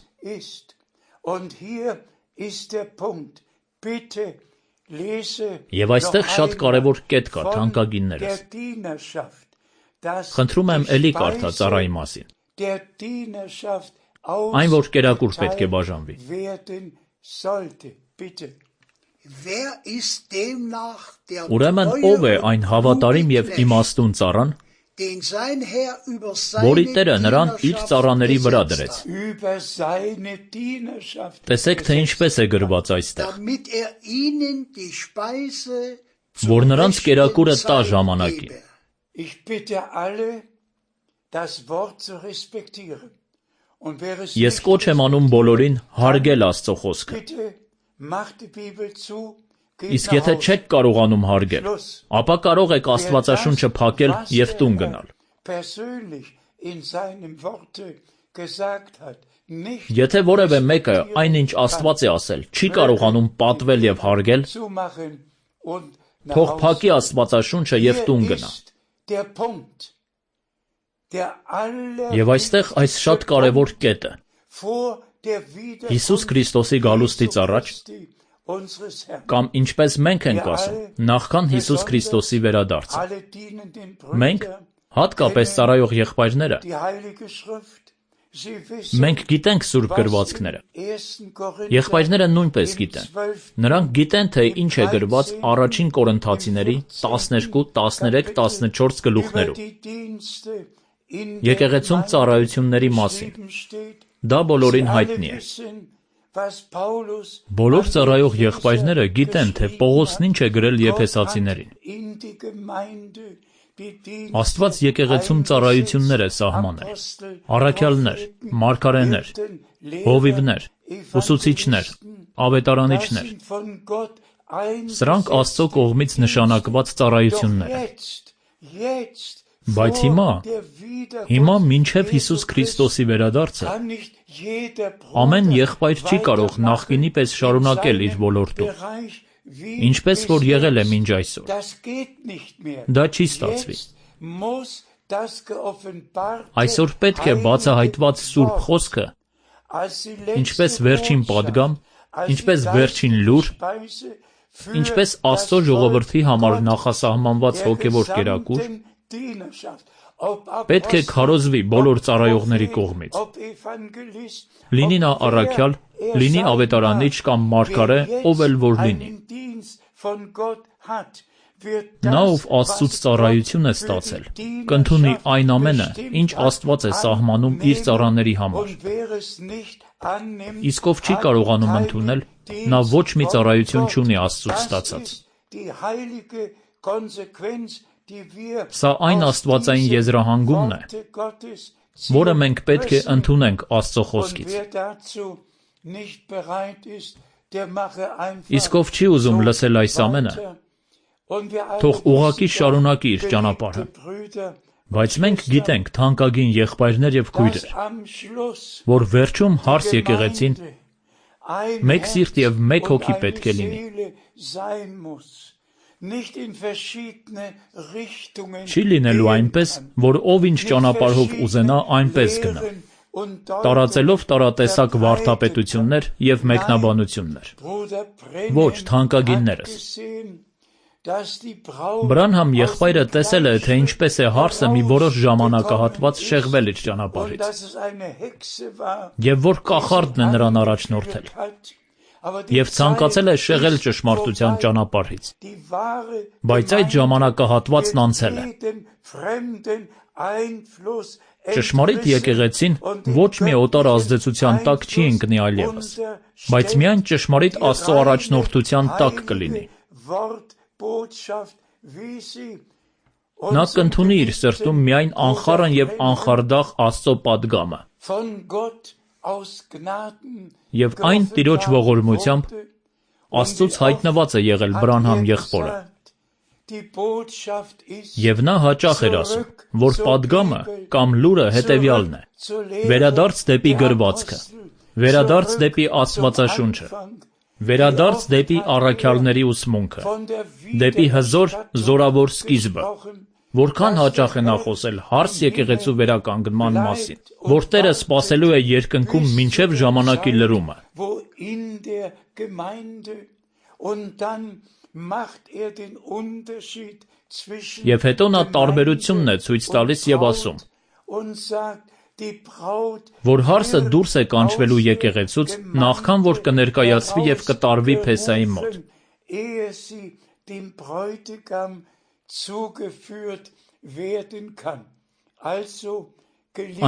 [SPEAKER 3] Եվ այստեղ շատ կարևոր կետ կա, թանկագիններս։ Խնդրում եմ էլի կարդա ծառայի մասին։ Այն, որ կերակուր պետք է բաժանվի։ Ուրեմն ով է այն հավատարիմ եւ իմաստուն ծառան, որի Տերը նրան իր ծառաների վրա դրեց։ Տեսեք, թե ինչպես է գրված այստեղ, որ նրանց կերակուրը տա ժամանակին։ Ես կոչ եմ անում բոլորին հարգել Աստծո խոսքը։ Իսկ եթե չեք կարողանում հարգել, ապա կարող եք Աստվածաշունչը փակել եւ տուն գնալ։ Եթե որևէ մեկը այնինչ Աստված է ասել, չի կարողանում պատվել եւ հարգել, թող փակի Աստվածաշունչը եւ տուն գնա։ Եվ այստեղ այս շատ կարևոր կետը։ Հիսուս Քրիստոսի գալուստից առաջ, կամ ինչպես մենք ենք ասում, նախքան Հիսուս Քրիստոսի վերադարձը, մենք, հատկապես ծառայող եղբայրները, մենք գիտենք սուրբ գրվածքները։ Եղբայրները նույնպես գիտեն։ Նրանք գիտեն, թե ինչ է գրված առաջին Կորինթացիների տասներկու, տասներեք, տասնչորս գլուխներում։ Եկեղեցում ծառայությունների մասին։ Դա բոլորին հայտնի է։ Բոլոր ծառայող եղբայրները գիտեն, թե Պողոսն ինչ է գրել Եփեսացիներին։ Աստված եկեղեցում ծառայություններ է սահմանել. առաքյալներ, մարգարեներ, հովիվներ, ուսուցիչներ, ավետարանիչներ։ Սրանք Աստծո կողմից նշանակված ծառայություններ են։ Բայց հիմա, հիմա մինչև Հիսուս Քրիստոսի վերադարձը, ամեն եղբայր չի կարող նախկինի պես շարունակել իր ոլորտում, ինչպես որ եղել է մինչ այսօր։ Դա չի ստացվի։ Այսօր պետք է բացահայտված Սուրբ Խոսքը, ինչպես վերջին պատգամ, ինչպես վերջին լուր, ինչպես Աստծո ժողովրդի համար նախասահմանված հոգևոր կերակուր, պետք է քարոզվի բոլոր ծառայողների կողմից։ Լինի նա առաքյալ, լինի ավետարանիչ կամ մարգարե, ով էլ որ լինի։ Նա, ով Աստծուց ծառայություն է ստացել, կընդունի այն ամենը, ինչ Աստված է սահմանում իր ծառաների համար։ Իսկ ով չի կարողանում ընդունել, նա ոչ մի ծառայություն չունի Աստծուց ստացած։ Սա այն աստվածային եզրահանգումն է, որը մենք պետք է ընդունենք Աստծո խոսքից։ Իսկ ով չի ուզում լսել այս ամենը, թող ուղղակի շարունակի իր ճանապարհը։ Բայց մենք գիտենք, թանկագին եղբայրներ եւ քույրեր, որ վերջում հարս եկեղեցին մեկ սիրտ եւ մեկ հոգի պետք է լինի։ Չի լինելու այնպես, որ ով ինչ ճանապարհով ուզենա, այնպես գնա, տարածելով տարատեսակ վարդապետություններ եւ մեկնաբանություններ։ Ոչ, թանկագիններս։ Բրանհամ եղբայրը տեսել է, թե ինչպես է հարսը մի որոշ ժամանակահատված շեղվել իր ճանապարհից, եւ որ կախարդն է նրան առաջնորդել, եւ ցանկացել է շեղել ճշմարտության ճանապարհից, բայց այդ ժամանակահատվածն անցել է։ Ճշմարիտ եկեղեցին ոչ մի օտար ազդեցության տակ չի ընկնի այլևս, բայց միայն ճշմարիտ Աստծո առաջնորդության տակ կլինի։ Նա կընդունի իր սրտում միայն անխառն եւ անխարդախ Աստծո պատգամը։ Եվ այն Տիրոջ ողորմությամբ Աստծուց հայտնված է եղել Բրանհամ եղբորը։ Եվ նա հաճախ էր ասում, որ պատգամը կամ լուրը հետևյալն է. վերադարձ դեպի գրվածքը, վերադարձ դեպի Աստվածաշունչը, վերադարձ դեպի առաքյալների ուսմունքը, դեպի հզոր զորավոր սկիզբը։ Որքան հաճախ է նա խոսել հարս եկեղեցու վերականգնման մասին, որ Տերը սպասելու է երկնքում մինչև ժամանակի լրումը։ Եվ հետո նա տարբերությունն է ցույց տալիս եւ ասում, որ հարսը դուրս է կանչվելու եկեղեցուց, նախքան որ կներկայացվի եւ կտարվի Փեսայի մոտ։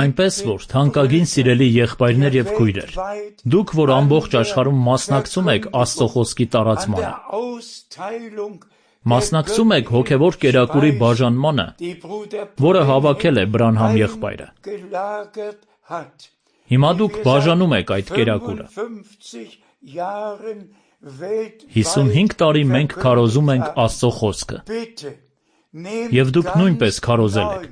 [SPEAKER 3] Այնպես որ, թանկագին սիրելի եղբայրներ եւ քույրեր, դուք, որ ամբողջ աշխարհում մասնակցում եք Աստծո խոսքի տարածմանը, մասնակցում եք հոգևոր կերակուրի բաժանմանը, որը հավաքել է Բրանհամ եղբայրը։ Հիմա դուք բաժանում եք այդ կերակուրը։ հիսունհինգ տարի մենք քարոզում ենք Աստծո խոսքը։ Եվ դուք նույնպես քարոզել եք։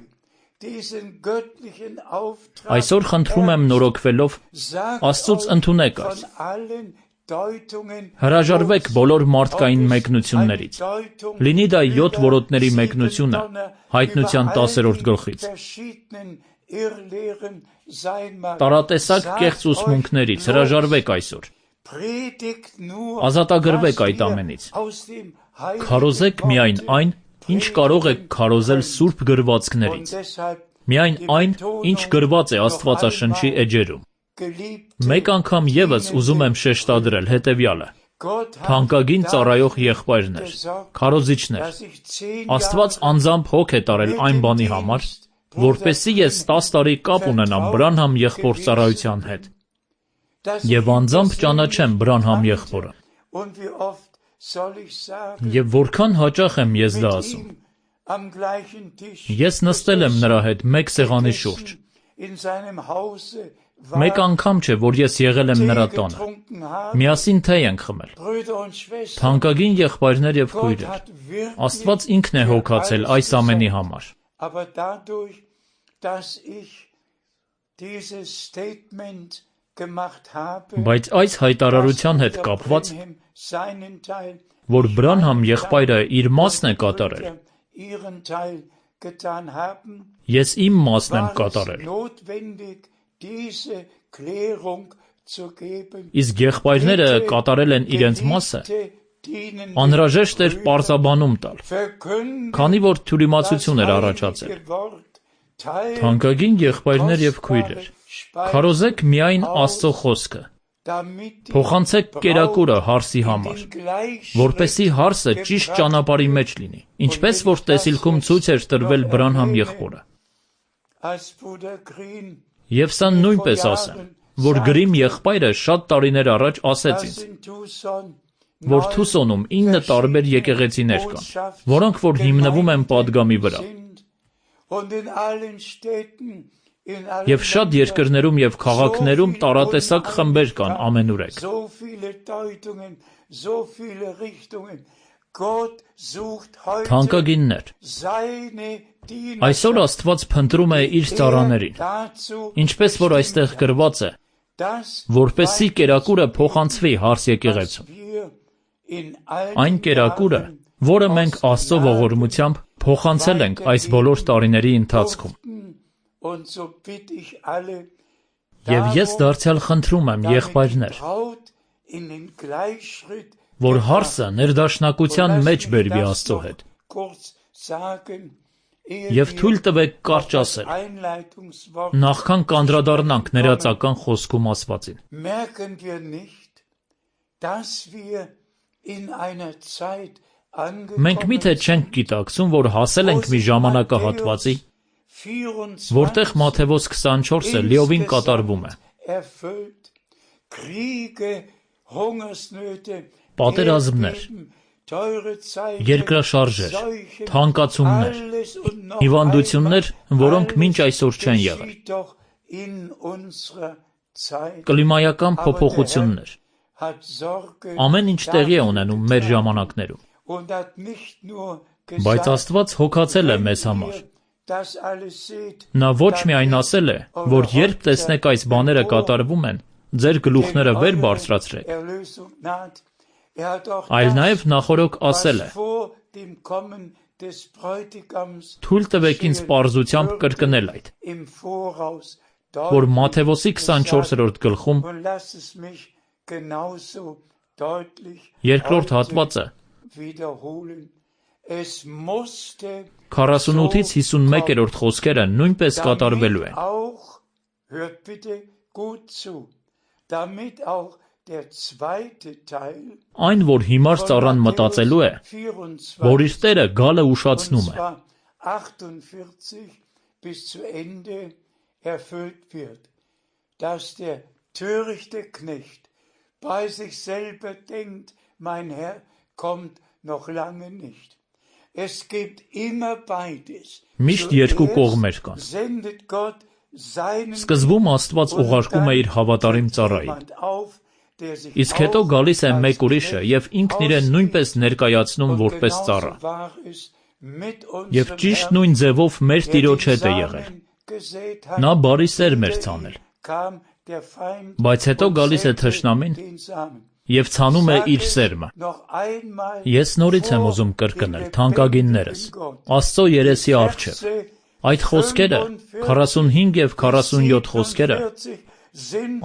[SPEAKER 3] Այսօր խնդրում եմ նորոգվելով, Աստծուց ընդունեք այս։ Հրաժարվեք բոլոր մարդկային մեկնություններից։ Լինի դա յոթ որոտների մեկնությունը, Հայտնության տասերորդ գլխից։ Տարատեսակ կեղծ ուսմունքներից հրաժարվեք այսօր։ Ազատագրվեք այդ ամենից։ Քարոզեք միայն այն, ինչ կարող եք քարոզել սուրբ գրվածքներից։ Միայն այն, ինչ գրված է Աստվածաշնչի էջերում։ Մեկ անգամ ևս ուզում եմ շեշտադրել հետևյալը. թանկագին ծառայող եղբայրներ, քարոզիչներ, Աստված անձամբ հոգ է տարել այն բանի համար, որպեսզի ես տաս տարի կապ ունենամ Բրանհամ եղբոր ծառայության հետ, եւ անձամբ ճանաչեմ Բրանհամ եղբորը։ Եվ որքան հաճախ եմ ես դա ասում։ Ես նստել եմ նրա հետ մեկ սեղանի շուրջ։ Մեկ անգամ չէ, որ ես եղել եմ նրա տանը։ Միասին թեյ ենք խմել։ Թանկագին եղբայրներ եւ քույրեր, Աստված ինքն է հոգացել այս ամենի համար։ Բայց այս հայտարարության հետ կապված, որ Բրանհամ եղբայրը իր մասն է կատարել, ես իմ մասն եմ կատարել։ Իսկ եղբայրները կատարել են իրենց մասը, անհրաժեշտ էր պարզաբանում տալ, քանի որ թյուրիմացություն էր առաջացել։ Թանկագին եղբայրներ եւ քույրեր, քարոզեք միայն Աստծո խոսքը, փոխանցեք կերակուրը հարսի համար, որպեսզի հարսը ճիշտ ճանապարհի մեջ լինի, ինչպես որ տեսիլքում ցույց էր տրվել Բրանհամ եղբորը։ Եվ սա նույնպես ասեմ, որ Գրիմ եղբայրը շատ տարիներ առաջ ասեց ինձ, որ Թուսոնում ինը տարբեր եկեղեցիներ կան, որոնք որ հիմնվում են պատգամի վրա։ Եվ շատ երկրներում եւ քաղաքներում տարատեսակ խմբեր կան ամենուրեք։ Թանկագիններ, այսօր Աստված փնտրում է իր ծառաներին, ինչպես որ այստեղ գրված է, որպեսզի կերակուրը փոխանցվի հարս եկեղեցու։ Այն կերակուրը, որը մենք Աստծո ողորմությամբ փոխանցել ենք այս բոլոր տարիների ընթացքում։ Եվ ես դարձյալ խնդրում եմ եղբայրներ, որ հարսը ներդաշնակության մեջ բերվի Աստծո հետ, եւ թույլ տվեք կարճ ասել, նախքան կանդրադառնանք ներածական խոսքում ասվածին։ Մենք միթե չենք գիտակցում, որ հասել ենք մի ժամանակահատվածի, որտեղ Մատթեոս քսանչորսը լիովին կատարվում է։ Պատերազմներ, երկրաշարժեր, թանկացումներ, հիվանդություններ, որոնք մինչ այսօր չեն եղել, կլիմայական փոփոխություններ, ամեն ինչ տեղի է ունենում մեր ժամանակներում։ Բայց Աստված հոգացել է մեզ համար։ Նա ոչ միայն ասել է, որ երբ տեսնեք այս բաները կատարվում են, ձեր գլուխները վեր բարձրացրեք, այլ նաև նախօրոք ասել է. թույլ տվեք ինձ պարզությամբ կրկնել այդ, որ Մատթեոսի քսանչորսերորդ գլխում երկրորդ հատվածը քառասունութից հիսունմեկերորդ խոսքերը նույնպես կատարվելու են։ Այն, որ հիմար ծառան մտածելու է, որ իր տերը գալը ուշացնում է, միշտ երկու կողմեր կան։ Սկզբում Աստված ուղարկում է իր հավատարիմ ծառային, իսկ հետո գալիս է մեկ ուրիշը եւ ինքն իրեն նույնպես ներկայացնում որպես ծառա։ Եվ ճիշտ նույն ձևով մեր Տիրոջ հետ է եղել։ Նա բարի սերմ էր ցանել, բայց հետո գալիս է թշնամին եւ ցանում է իր սերմը։ Ես նորից եմ ուզում կրկնել, թանկագիններս, Աստծո երեսի առջև, այդ խոսքերը, քառասունհինգ եւ քառասունյոթ խոսքերը,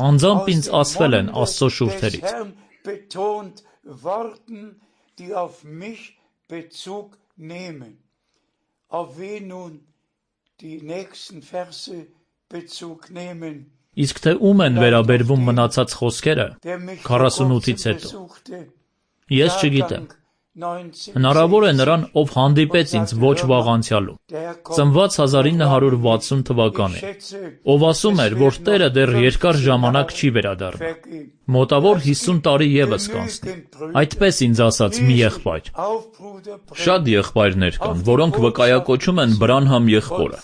[SPEAKER 3] անձամբ ինձ ասվել են Աստծո շուրթերից։ Իսկ թե ում են վերաբերվում մնացած խոսքերը քառասունութից հետո, ես չգիտեմ։ Հնարավոր է նրան, ով հանդիպեց ինձ ոչ վաղ անցյալում, ծնված հազար ինը հարյուր վաթսուն թվականին, ով ասում էր, որ Տերը դեռ երկար ժամանակ չի վերադառնա, մոտավոր հիսուն տարի ևս կանցնի, այդպես ինձ ասաց մի եղբայր։ Շատ եղբայրներ կան, որոնք վկայակոչում են Բրանհամ եղբորը,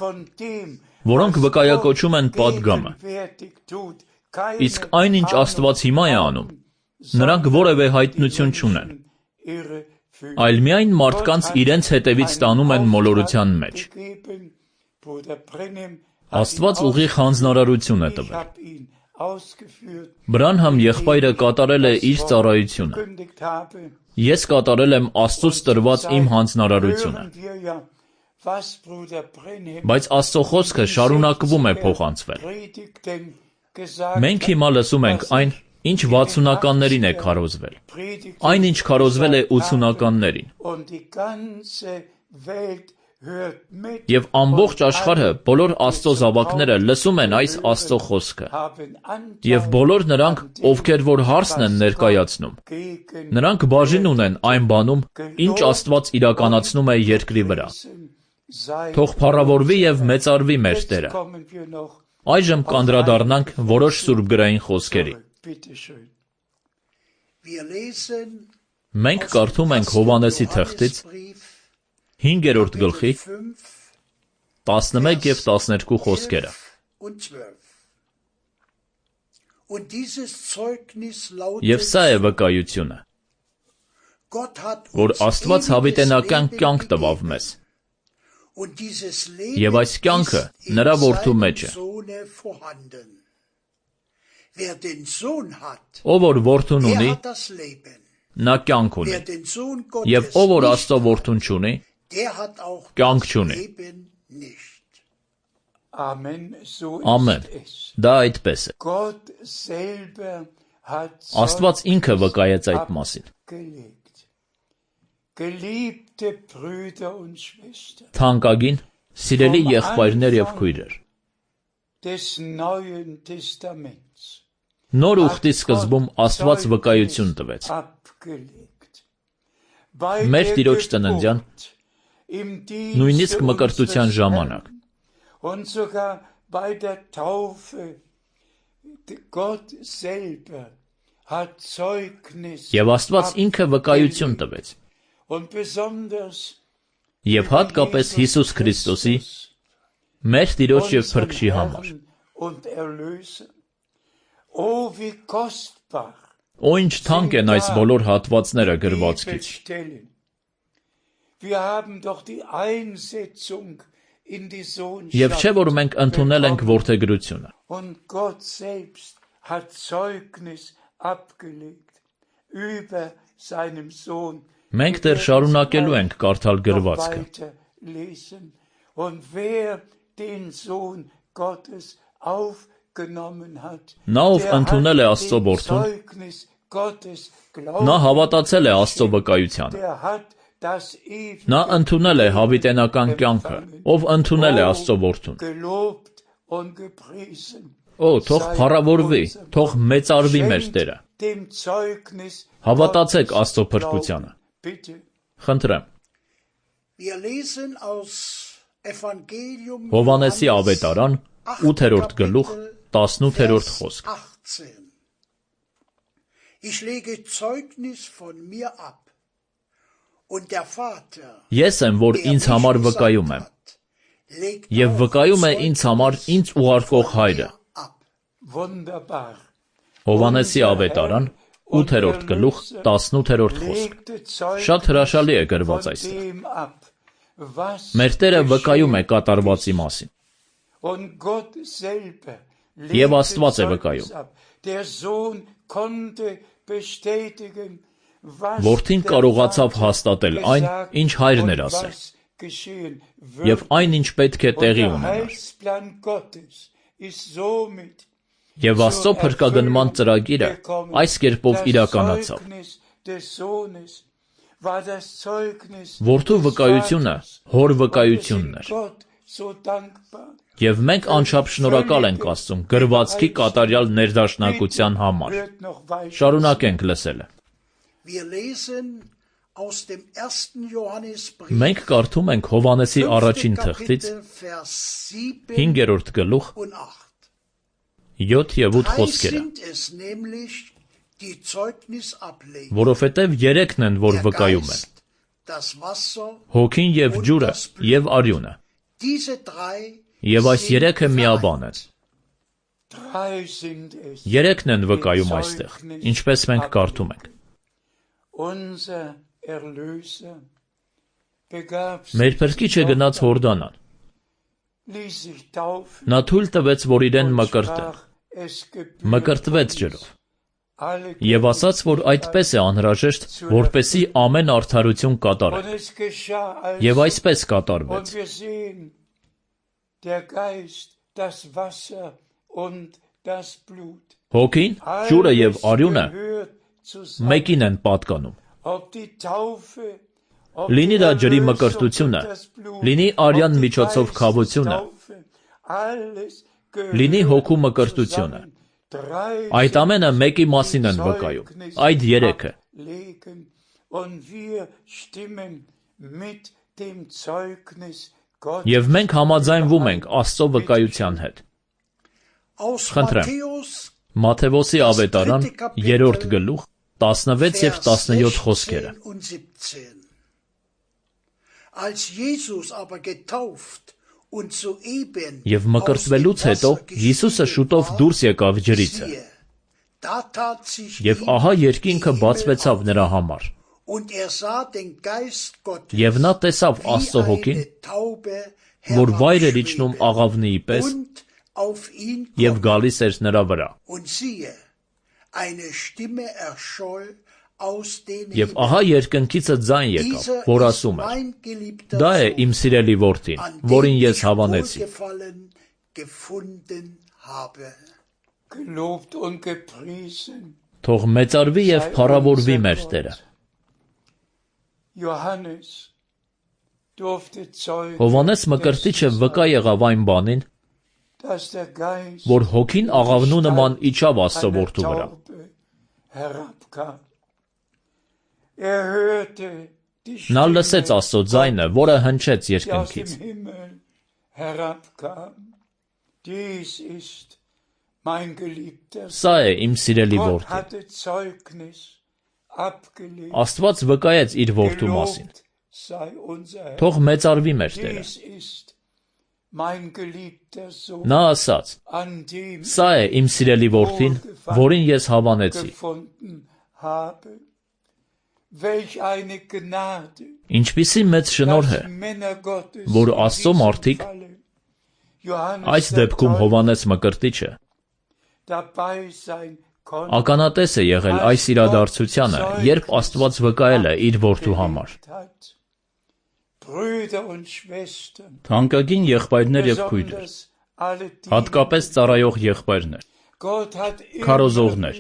[SPEAKER 3] որոնք վկայակոչում են պատգամը, իսկ այն, ինչ Աստված հիմա է անում, Նրանք որևէ հայտնություն չունեն, այլ միայն մարդկանց իրենց հետևից տանում են մոլորության մեջ։ Աստված ուղիղ հանձնարարություն է տվել։ Բրանհամ եղբայրը կատարել է իր ծառայությունը։ Ես կատարել եմ Աստծուց տրված իմ հանձնարարությունը։ Բայց Աստծո խոսքը շարունակվում է փոխանցվել։ Մենք հիմա լսում ենք այն, ինչ վաթսունականներին է քարոզվել, այն ինչ քարոզվել է ութսունականներին։ Եվ ամբողջ աշխարհը, բոլոր Աստծո զավակները լսում են այս Աստծո խոսքը։ Եվ բոլոր նրանք, ովքեր որ հարցն են ներկայացնում, նրանք բաժին ունեն այն բանում, ինչ Աստված իրականացնում է երկրի վրա։ Թող փառավորվի և մեծարվի մեր Տերը։ Այժմ կանդրադառնանք որոշ սուրբգրային խոսքերի։ Մենք կարդում ենք Հովհաննեսի թղթից հինգերորդ գլխի տասնմեկ և տասներկու խոսքերը։ Եվ սա է վկայությունը, որ Աստված հավիտենական կյանք տվավ մեզ, և այս կյանքը նրա որդու մեջ է։ Ով որ որդուն ունի, նա կյանք ունի, և ով որ Աստծո որդուն չունի, կյանք չունի։ Ամեն, դա այդպես է։ Աստված ինքը վկայեց այդ մասին։ Թանկագին, սիրելի եղբայրներ և քույրեր, նոր ուխտի սկզբում Աստված վկայություն տվեց։ Մեր Տիրոջ ծննդյան, նույնիսկ մկրտության ժամանակ։ Եվ Աստված ինքը վկայություն տվեց։ Եվ հատկապես Հիսուս Քրիստոսի, մեր Տիրոջ և Փրկչի համար։ Օ, ինչ թանկ են այս բոլոր հատվածները գրվածքից։ Եվ չէ, որ մենք ընդունել ենք որդեգրությունը։ Մենք դեռ շարունակելու ենք կարդալ գրվածքը։ Նա, ով ընդունել է Աստծո որդուն, նա հավատացել է Աստծո վկայությանը։ Նա ընդունել է հավիտենական կյանքը, ով ընդունել է Աստծո որդուն։ Օ, թող փառավորվի, թող մեծարվի մեր Տերը։ Հավատացեք Աստծո փրկությանը։ Խնդրեմ։ Հովհաննեսի ավետարան, ութերորդ գլուխ, տասնութերորդ խոսք։ Ես եմ, որ ինձ համար վկայում եմ, և վկայում է ինձ համար ինձ ուղարկող Հայրը։ Հովհաննեսի ավետարան, ութերորդ գլուխ, տասնութերորդ խոսք։ Շատ հրաշալի է գրված այստեղ։ Մեր Տերը վկայում է կատարվածի մասին։ Եվ Աստված է վկայում։ Որդին կարողացավ հաստատել այն, ինչ Հայրն էր ասել, և այն, ինչ պետք է տեղի ունենար։ Եվ Աստծո փրկագնման ծրագիրը այս կերպով իրականացավ։ Որդու վկայությունը հոր վկայությունն էր։ Եվ մենք անչափ շնորհակալ ենք Աստծուն գրվածքի կատարյալ ներդաշնակության համար։ Շարունակենք լսելը։ Մենք կարդում ենք Հովհաննեսի առաջին թղթից հինգերորդ գլուխ յոթ և ութ խոսքերը, որովհետև երեքն են, որ վկայում են. հոգին և ջուրը և արյունը, և այս երեքը միաբան են։ Երեքն են վկայում այստեղ, ինչպես մենք կարդում ենք։ Մեր Փրկիչը գնաց Հորդանան։ Նա թույլ տվեց, որ իրեն մկրտեն, մկրտվեց ջրով, և ասաց, որ այդպես է անհրաժեշտ, որպեսզի ամեն արդարություն կատարվի, և այսպես կատարվեց։ Հոգին, ջուրը և արյունը մեկին են պատկանում։ Լինի դա ջրի մկրտությունը, լինի արյան միջոցով քավությունը, լինի հոգու մկրտությունը, այդ ամենը մեկի մասին են վկայում, այդ երեքը։ Եվ մենք համաձայնվում ենք Աստծո վկայության հետ։ Խնդրեմ, Մատթեոսի ավետարան, երրորդ գլուխ, տասնվեց և տասնյոթ խոսքերը։ Եվ մկրտվելուց հետո Հիսուսը շուտով դուրս եկավ ջրիցը, և ահա երկինքը բացվեցավ նրա համար, և նա տեսավ Աստծո հոգին, որ վայր էր իջնում աղավնիի պես և գալիս էր նրա վրա։ Եվ ահա երկնքիցը ձայն եկավ, որ ասում էր. «Դա է իմ սիրելի որդին, որին ես հավանեցի»։ Թող մեծարվի և փառավորվի մեր Տերը։ Հովհաննես Մկրտիչը վկա եղավ այն բանին, որ հոգին աղավնու նման իջավ Աստծո որդու վրա։ Նա լսեց Աստծո ձայնը, որը հնչեց երկնքից. «Սա է իմ սիրելի որդին»։ Աստված վկայեց իր որդու մասին։ Թող մեծարվի մեր Տերը։ Նա ասաց. «Սա է իմ սիրելի որդին, որին ես հավանեցի»։ Ինչպիսի մեծ շնորհ է, որ Աստծո մարդիկ, այս դեպքում Հովհաննես Մկրտիչը, ականատես է եղել այս իրադարձությանը, երբ Աստված վկայել է իր որդու համար։ Թանկագին եղբայրներ և քույրեր, հատկապես ծառայող եղբայրներ, քարոզողներ,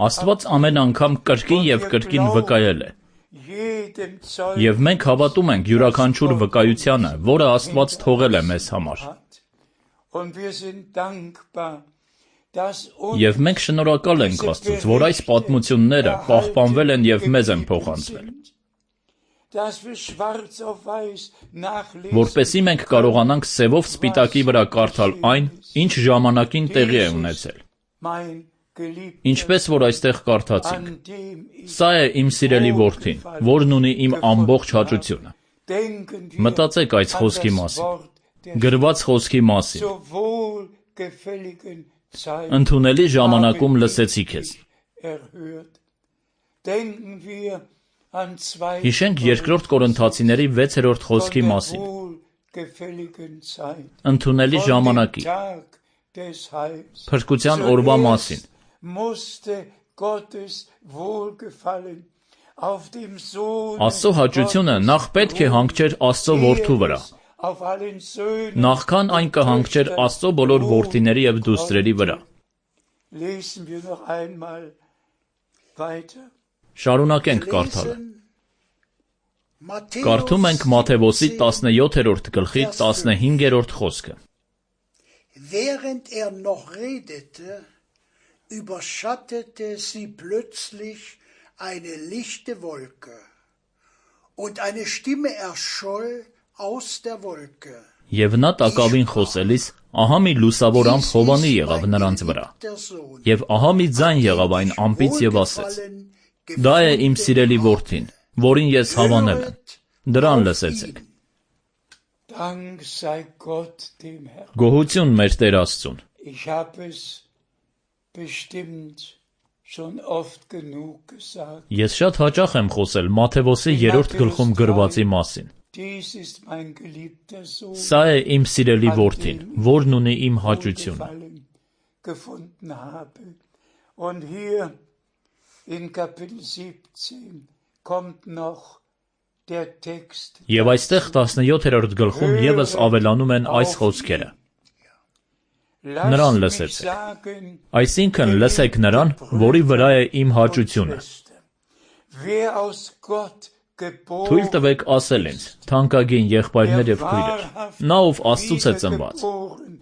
[SPEAKER 3] Աստված ամեն անգամ կրկին և կրկին վկայել է, և մենք հավատում ենք յուրաքանչյուր վկայությանը, որը Աստված թողել է մեզ համար։ Եվ մենք շնորհակալ ենք Աստծուց, որ այս պատմությունները պահպանվել են և մեզ են փոխանցվել, որպեսզի մենք կարողանանք սևով սպիտակի վրա կարդալ այն, ինչ ժամանակին տեղի է ունեցել։ Ինչպես որ այստեղ կարդացինք. «Սա է իմ սիրելի որդին, որն ունի իմ ամբողջ հաճությունը»։ Մտածեք այս խոսքի մասին, գրված խոսքի մասին։ Ընդունելի ժամանակում լսեցի քեզ։ Հիշենք երկրորդ Կորինթացիների վեցերորդ խոսքի մասին։ Ընդունելի ժամանակի, փրկության օրվա մասին։ Աստծո հաճությունը նախ պետք է հանգչեր Աստծո որդու վրա, նախքան այն կհանգչեր Աստծո բոլոր որդիների և դուստրերի վրա։ Շարունակենք կարդալը։ Կարդում ենք Մատթեոսի տասնյոթերորդ գլխի տասնհինգերորդ խոսքը։
[SPEAKER 5] Während er noch redete, überschattete sie plötzlich eine lichte Wolke, und eine Stimme erscholl aus der Wolke.
[SPEAKER 3] Եվ նա տակավին խոսելիս, ահա մի լուսավոր ամպ Հովանի եղավ նրանց վրա, և ահա մի ձայն եղավ այն ամպից և ասեց. «Դա է իմ սիրելի որդին, որին ես հավանել եմ, դրան լսեցեք»։
[SPEAKER 4] Dank sei Gott dem Herrn.
[SPEAKER 3] Գոհություն մեր Տեր Աստծուն։
[SPEAKER 4] Ich habe es bestimmt schon oft genug gesagt.
[SPEAKER 3] Ես շատ հաճախ եմ խոսել Մատթեոսի երրորդ գլխում գրվածի մասին։
[SPEAKER 4] Dies ist mein geliebter Sohn.
[SPEAKER 3] Սա է իմ սիրելի որդին, որն ունի իմ հաճությունը։
[SPEAKER 4] Gefunden habe. Und hier in Kapitel siebzehn kommt noch der Text.
[SPEAKER 3] Եվ այստեղ տասնյոթերորդ գլխում եւս ավելանում են այս խոսքերը։ Նրան լսեցեք։ Այսինքն լսեք նրան, որի վրա է իմ հաճությունը։ Թույլ տվեք ասել ինձ, թանկագին եղբայրներ եւ քույրեր, նա ով Աստծուց է ծնված,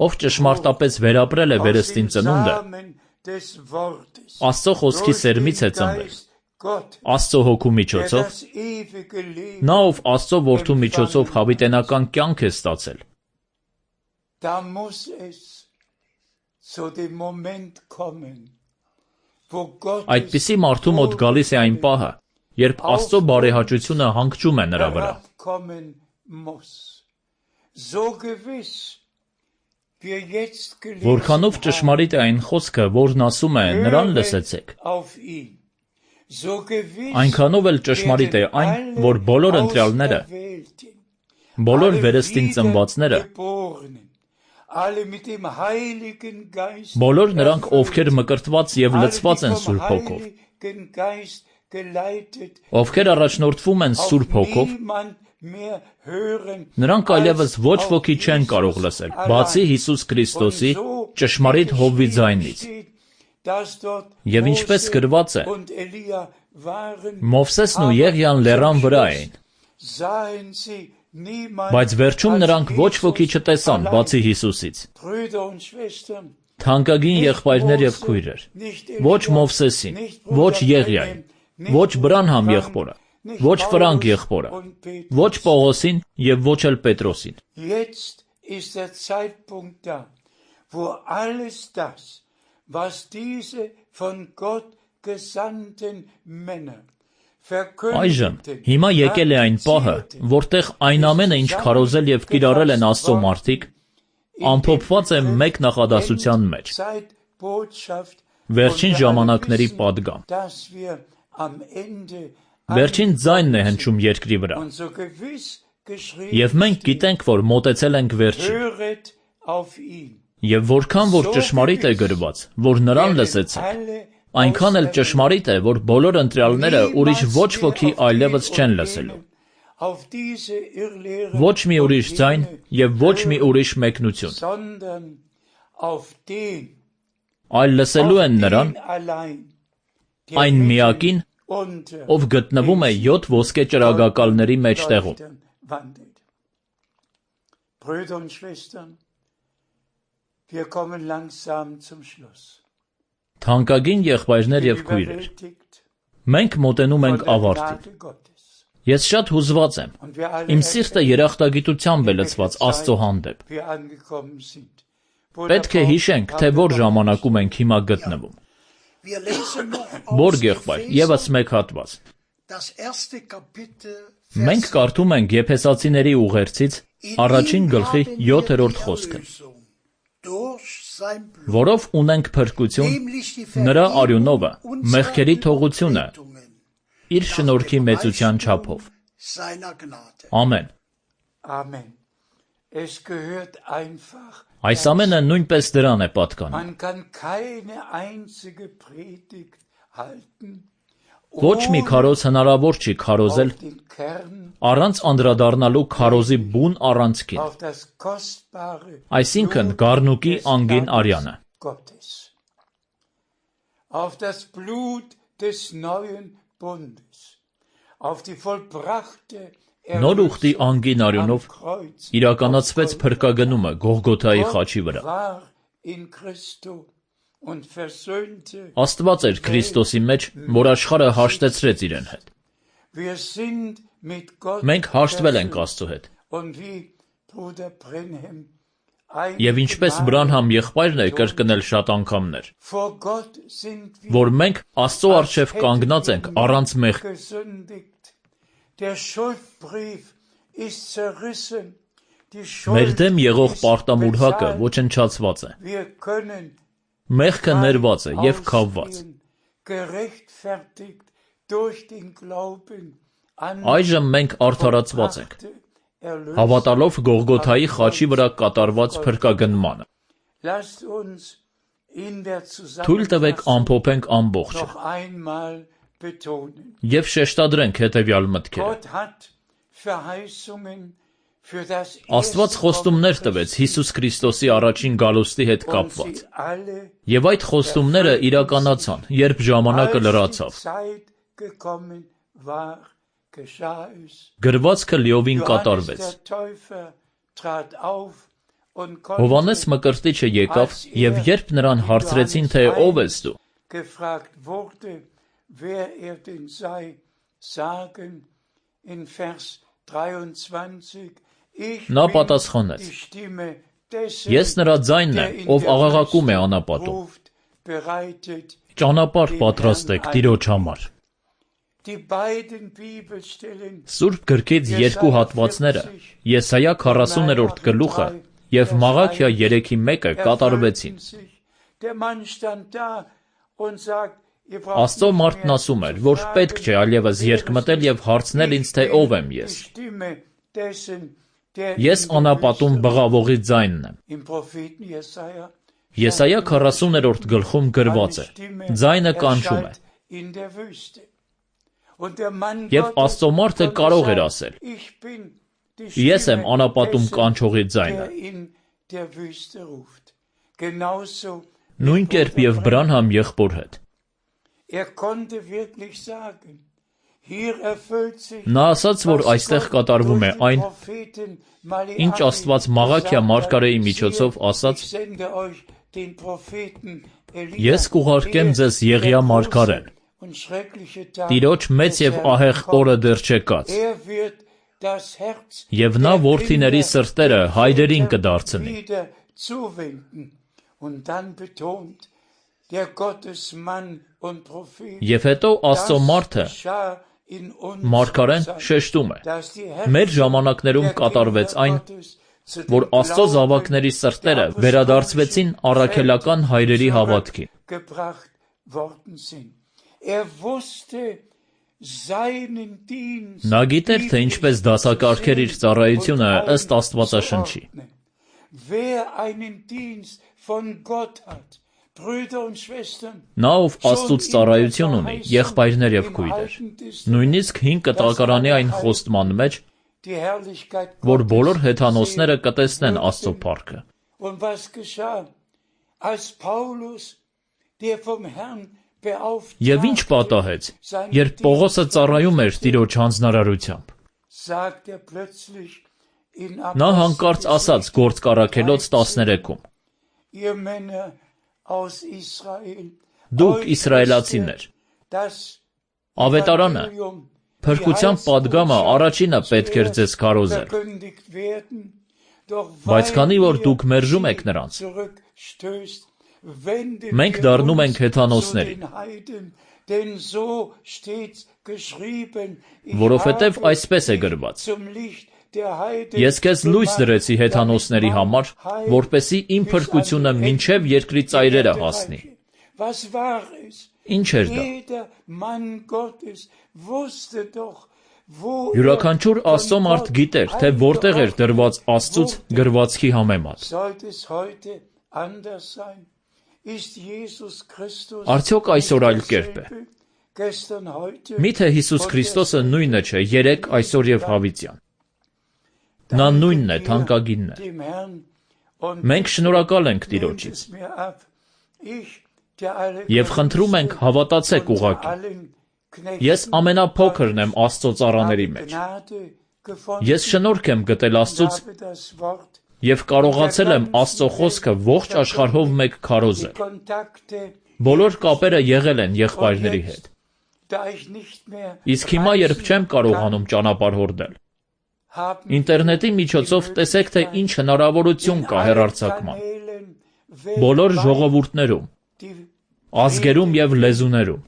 [SPEAKER 3] ով ճշմարտապես վերապրել է վերստին ծնունդը, Աստծո խոսքի սերմից է ծնվել, Աստծո հոգու միջոցով, նա ով Աստծո որդու միջոցով հավիտենական կյանք է ստացել։ Այդպիսի մարդու մոտ գալիս է այն պահը, երբ Աստծո բարեհաճությունը հանգչում է նրա վրա։ Որքանով ճշմարիտ է այն խոսքը, որն ասում է նրան լսեցեք, այնքանով էլ ճշմարիտ է այն, որ բոլոր ընտրյալները, բոլոր վերստին ծնվածները, բոլոր նրանք, ովքեր մկրտված և լցված են Սուրբ Հոգով, ովքեր առաջնորդվում են Սուրբ Հոգով, նրանք այլևս ոչ ոքի չեն կարող լսել, բացի Հիսուս Քրիստոսի ճշմարիտ հովվի ձայնից։ Եվ ինչպես գրված է, Մովսեսն ու Եղիան լեռան վրա էին, բայց վերջում նրանք ոչ ոքի չտեսան, բացի Հիսուսից։ Թանկագին եղբայրներ և քույրեր, ոչ Մովսեսին, ոչ Եղիային, ոչ Բրանհամ եղբորը, ոչ Ֆրանկ եղբորը, ոչ Պողոսին և ոչ էլ Պետրոսին։ Այժմ, հիմա եկել է այն պահը, որտեղ այն ամենը, ինչ քարոզել և կիրառել են Աստծո մարդիկ, ամփոփված է մեկ նախադասության մեջ. Վերջին ժամանակների պատգամ։ Վերջին ձայնն է հնչում երկրի վրա։ Եվ մենք գիտենք, որ մոտեցել ենք վերջին։ Եվ որքան որ ճշմարիտ է գրված, որ նրան լսեցեք, այնքան էլ ճշմարիտ է, որ բոլոր ընտրյալները ուրիշ ոչ ոքի այլևս չեն լսելու։ Ոչ մի ուրիշ ձայն և ոչ մի ուրիշ մեկնություն, այլ լսելու են նրան, այն միակին, ով գտնվում է յոթ ոսկե ճրագակալների մեջտեղում։ Թանկագին եղբայրներ և քույրեր, մենք մոտենում ենք ավարտին։ Ես շատ հուզված եմ, իմ սիրտը երախտագիտությամբ է լցված Աստծո հանդեպ։ Պետք է հիշենք, թե որ ժամանակում ենք հիմա գտնվում։ Բորգ եղբայր, ևս մեկ հատված։ Մենք կարդում ենք Եփեսացիների ուղերձից առաջին գլխի յոթերորդ խոսքը, որով ունենք փրկություն, նրա արյունովը, մեղքերի թողությունը, իր շնորհքի մեծության չափով։ Ամեն։ Այս ամենը նույնպես դրան է պատկանում։ Ոչ մի քարոզ հնարավոր չի քարոզել առանց անդրադառնալու քարոզի բուն առանցքին, այսինքն գառնուկի անգին արյանը։ Նոր ուխտի անգին արյունով իրականացվեց փրկագնումը Գողգոթայի խաչի վրա։ Աստված էր Քրիստոսի մեջ, որ աշխարհը հաշտեցրեց իրեն հետ։ Մենք հաշտվել ենք Աստծո հետ։ Եվ ինչպես Բրանհամ եղբայրն է կրկնել շատ անգամներ, որ մենք Աստծո առջև կանգնած ենք առանց մեղքի։ Մեր դեմ եղող պարտամուրհակը ոչնչացված է։ Մեղքը ներված է և քավված։ Այժմ մենք արդարացված ենք, հավատալով Գողգոթայի խաչի վրա կատարված փրկագնմանը։ Թույլ տվեք ամփոփենք ամբողջը և շեշտադրենք հետևյալ մտքերը։ Աստված խոստումներ տվեց Հիսուս Քրիստոսի առաջին գալուստի հետ կապված, և այդ խոստումները իրականացան, երբ ժամանակը լրացավ։ Գրվածքը լիովին կատարվեց։ Հովհաննես Մկրտիչը եկավ, և երբ նրան հարցրեցին, թե ով ես դու, նա պատասխանեց. Ես նրա ձայնն եմ, ով աղաղակում է անապատում. ճանապարհ պատրաստեք Տիրոջ համար։ Սուրբ գրքից երկու հատվածները, Եսայա քառասուներորդ գլուխը և Մաղաքիա երեքի մեկը կատարվեցին։ Աստծո մարդն ասում էր, որ պետք չէ այլևս երկմտել և հարցնել ինձ, թե ով եմ ես։ Ես անապատում բղավողի ձայնն եմ։ Եսայա քառասուներորդ գլխում գրված է. ձայնը կանչում է։ Եվ Աստծո մարդը կարող էր ասել. ես եմ անապատում կանչողի ձայնը։ Նույն կերպ և Բրանհամ եղբոր հետ։ Նա ասաց, որ այստեղ կատարվում է այն, ինչ Աստված Մաղաքիա մարգարեի միջոցով ասաց. ես կուղարկեմ ձեզ Եղիա մարգարեն, Տիրոջ մեծ և ահեղ օրը դեռ չեկած, և նա որդիների սրտերը հայրերին կդարձնի։ Եվ հետո Աստծո մարդը, մարգարեն, շեշտում է. մեր ժամանակներում կատարվեց այն, որ Աստծո զավակների սրտերը վերադարձվեցին առաքելական հայրերի հավատքին։ Նա գիտեր, թե ինչպես դասակարգեր իր ծառայությունը ըստ Աստվածաշնչի։ Նա, ով Աստծուց ծառայություն ունի, եղբայրներ և քույրեր, նույնիսկ հին կտակարանի այն խոստման մեջ, որ բոլոր հեթանոսները կտեսնեն Աստծո փառքը։ Եվ ինչ պատահեց, երբ Պողոսը ծառայում էր Տիրոջ հանձնարարությամբ։ Նա հանկարծ ասաց Գործք առաքելոց տասներեքում. դուք իսրայելացիներ, ավետարանը, փրկության պատգամը առաջինը պետք էր ձեզ քարոզել, բայց քանի որ դուք մերժում եք նրանց, մենք դառնում ենք հեթանոսներին, որովհետև այսպես է գրված. ես քեզ լույս դրեցի հեթանոսների համար, որպեսզի իմ փրկությունը մինչև երկրի ծայրերը հասնի։ Ինչ էր դա։ Յուրաքանչյուր Աստծո մարդ գիտեր, թե որտեղ էր դրված Աստծուց գրվածքի համեմատ։ Արդյոք այսօր այլ կերպ է։ Միթե Հիսուս Քրիստոսը նույնը չէ երեկ, այսօր և հավիտյան։ Նա նույնն է, թանկագինն է։ Մենք շնորհակալ ենք Տիրոջից։ Եվ խնդրում ենք հավատացեք ուղղակի։ Ես ամենափոքրն եմ Աստծո ծառաների մեջ։ Ես շնորհք եմ գտել Աստծուց և կարողացել եմ Աստծո խոսքը ողջ աշխարհով մեկ քարոզել։ Բոլոր կապերը եղել են եղբայրների հետ։ Իսկ հիմա, երբ չեմ կարողանում ճանապարհ հորդել, ինտերնետի միջոցով տեսեք, թե ինչ հնարավորություն կա հեռարձակման։ Բոլոր ժողովուրդներում, ազգերում և լեզուներում։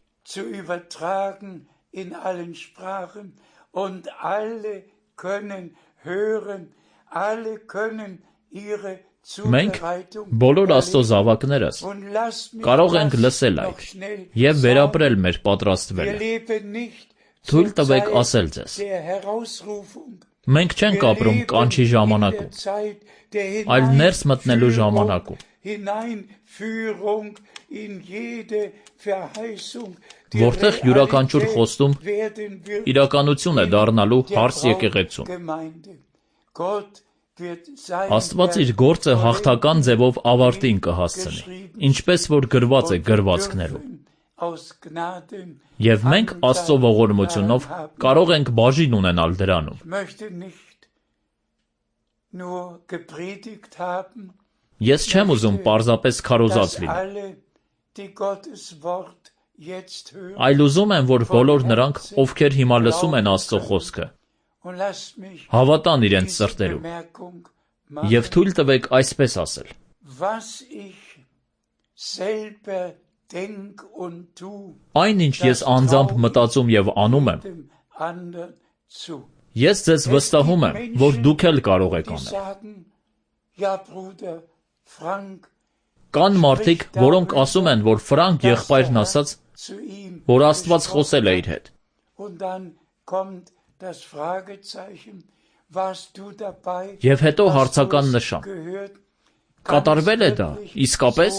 [SPEAKER 3] Մենք բոլոր Աստծո զավակներս կարող ենք լսել այդ և վերապրել մեր պատրաստվելը։ Թույլ տվեք ասել ձեզ. մենք չենք ապրում կանչի ժամանակում, այլ ներս մտնելու ժամանակում, որտեղ յուրաքանչյուր խոստում իրականություն է դառնալու հարս եկեղեցում։ Աստված իր գործը հաղթական ձևով ավարտին կհասցնի, ինչպես որ գրված է գրվածքներում։ Եվ մենք Աստծո ողորմությունով կարող ենք բաժին ունենալ դրանում։ Ես չեմ ուզում պարզապես քարոզած լինել, այլ ուզում եմ, որ բոլոր նրանք, ովքեր հիմա լսում են Աստծո խոսքը, հավատան իրենց սրտերում, և թույլ տվեք այսպես ասել. այն, ինչ ես անձամբ մտածում և անում եմ, ես ձեզ վստահում եմ, որ դուք էլ կարող եք անել։ Կան մարդիկ, որոնք ասում են, որ Ֆրանկ եղբայրն ասաց, որ Աստված խոսել է իր հետ։ Եվ հետո հարցական նշան. կատարվել է դա, իսկապես։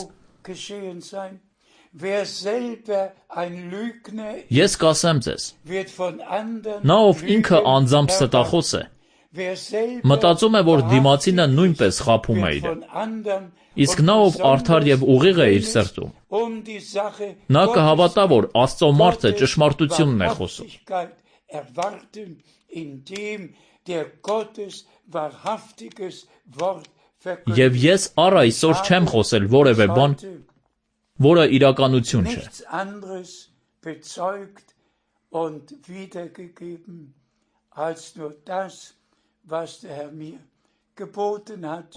[SPEAKER 3] Ես կասեմ ձեզ, նա, ով ինքը անձամբ ստախոս է, մտածում է, որ դիմացինը նույնպես խաբում է իրեն, իսկ նա, ով արդար և ուղիղ է իր սրտում, նա կհավատա, որ Աստծո մարդը ճշմարտությունն է խոսում։ Եվ ես առ այսօր չեմ խոսել որևէ բան, որը իրականություն չէ։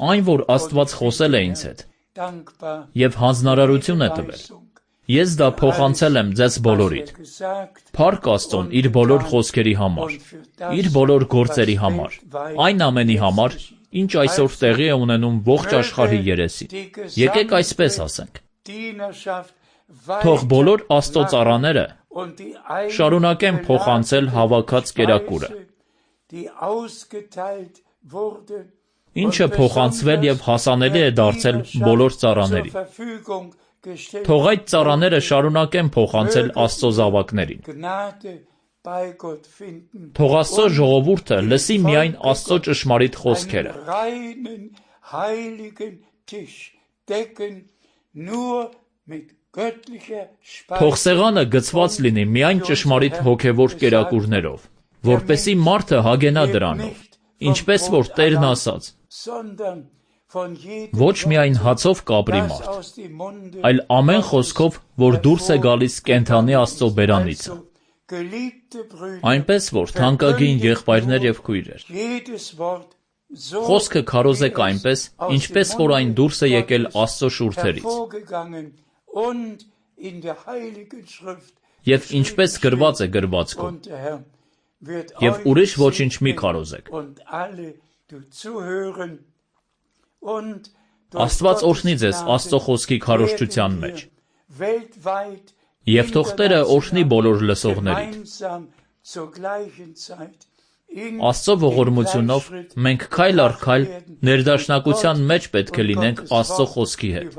[SPEAKER 3] Այն, որ Աստված խոսել է ինձ հետ, և հանձնարարություն է տվել, ես դա փոխանցել եմ ձեզ բոլորիդ։ Փառք Աստծուն իր բոլոր խոսքերի համար, իր բոլոր գործերի համար, այն ամենի համար, ինչ այսօր տեղի է ունենում ողջ աշխարհի երեսին։ Եկեք այսպես ասենք. թող բոլոր Աստծո ծառաները շարունակեն փոխանցել հավաքած կերակուրը, ինչը փոխանցվել և հասանելի է դարձել բոլոր ծառաներին։ Թող այդ ծառաները շարունակեն փոխանցել Աստծո զավակներին։ Թող Աստծո ժողովուրդը լսի միայն Աստծո ճշմարիտ խոսքերը։ Թող սեղանը գցված լինի միայն ճշմարիտ հոգևոր կերակուրներով, որպեսզի մարդը հագենա դրանով, ինչպես որ Տերն ասաց. ոչ միայն հացով կապրի մարդ, այլ ամեն խոսքով, որ դուրս է գալիս կենդանի Աստծո բերանիցը։ Այնպես որ, թանկագին եղբայրներ և քույրեր, խոսքը քարոզեք այնպես, ինչպես որ այն դուրս է եկել Աստծո շուրթերից, և ինչպես գրված է գրվածքում, և ուրիշ ոչինչ մի քարոզեք։ Աստված օրհնի ձեզ Աստծո խոսքի քարոզչության մեջ, և թող Տերը օրհնի բոլոր լսողներին։ Աստծո ողորմությունով մենք քայլ առ քայլ ներդաշնակության մեջ պետք է լինենք Աստծո խոսքի հետ։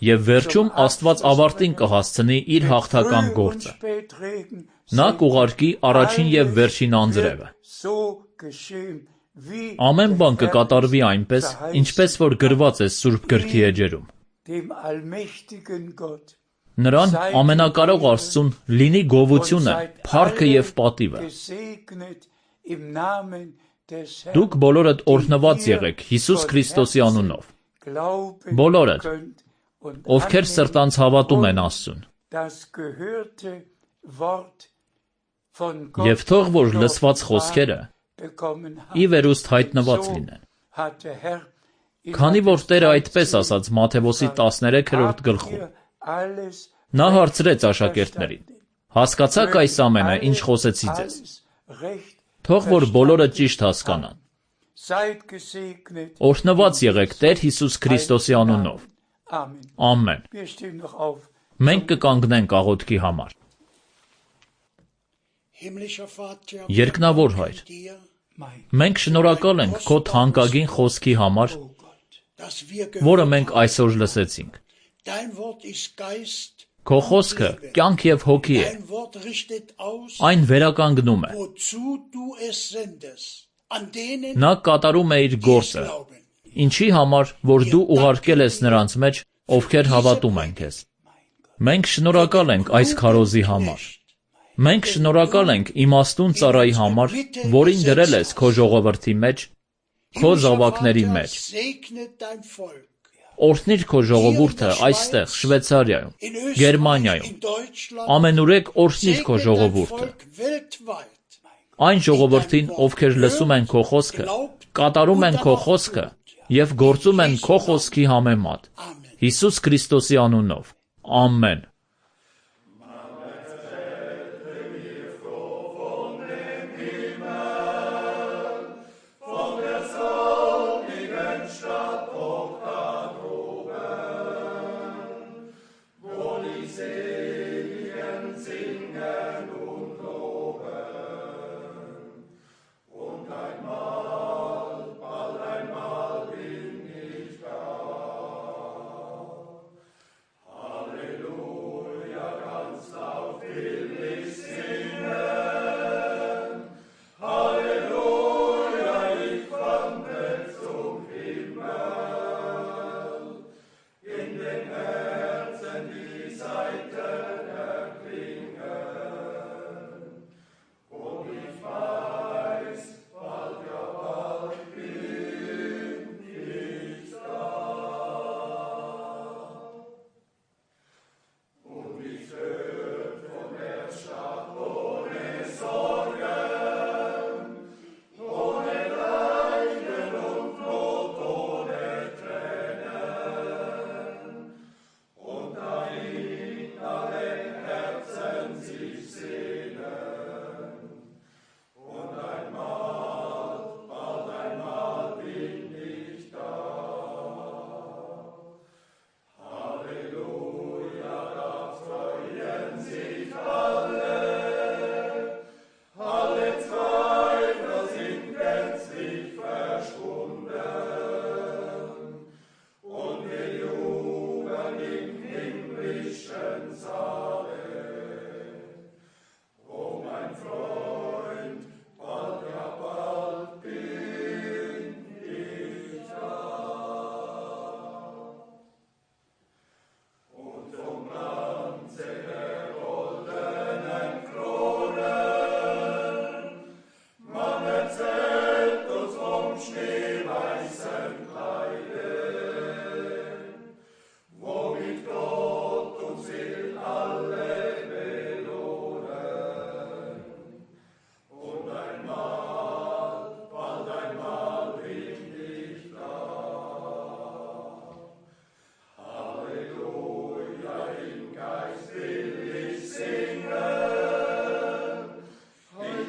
[SPEAKER 3] Եվ վերջում Աստված ավարտին կհասցնի իր հաղթական գործը։ Նա կուղարկի առաջին և վերջին անձրևը։ Ամեն բան կկատարվի այնպես, ինչպես որ գրված է Սուրբ Գրքի էջերում։ Նրան ամենակարող Աստծուն լինի գովությունը, փառքը և պատիվը։ Դուք բոլորդ օրհնված եղեք Հիսուս Քրիստոսի անունով։ Բոլորդ, ովքեր սրտանց հավատում են Աստծուն։ Եվ թող որ լսված խոսքերը ի վերուստ հայտնված լինեն։ Քանի որ Տերը այդպես ասաց Մատթեոս տասներեքրորդ գլխում, նա հարցրեց աշակերտներին. Հասկացաք այս ամենը, ինչ խոսեցի ձեզ։ Թող որ բոլորը ճիշտ հասկանան։ Օրհնված եղեք Տեր Հիսուս Քրիստոսի անունով։ Ամեն։ Մենք կկանգնենք աղոթքի համար։ Երկնավոր Հայր, մենք շնորհակալ ենք քո թանկագին խոսքի համար, որը մենք այսօր լսեցինք։ Քո խոսքը կյանք և հոգի է։ Այն վերականգնում է։ Նա կատարում է իր գործը, ինչի համար, որ դու ուղարկել ես նրանց մեջ, ովքեր հավատում են քեզ։ Մենք շնորհակալ ենք այս քարոզի համար։ Մենք շնորհակալ ենք իմաստուն ծառայի համար, որին դրել ես քո ժողովրդի մեջ, քո զավակների մեջ։ Օրհնիր քո ժողովուրդը այստեղ, Շվեյցարիայում, Գերմանիայում, ամենուրեք օրհնիր քո ժողովուրդը։ Այն ժողովրդին, ովքեր լսում են քո խոսքը, կատարում են քո խոսքը և գործում են քո խոսքի համեմատ։ Հիսուս Քրիստոսի անունով։ Ամեն։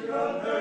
[SPEAKER 1] Amen.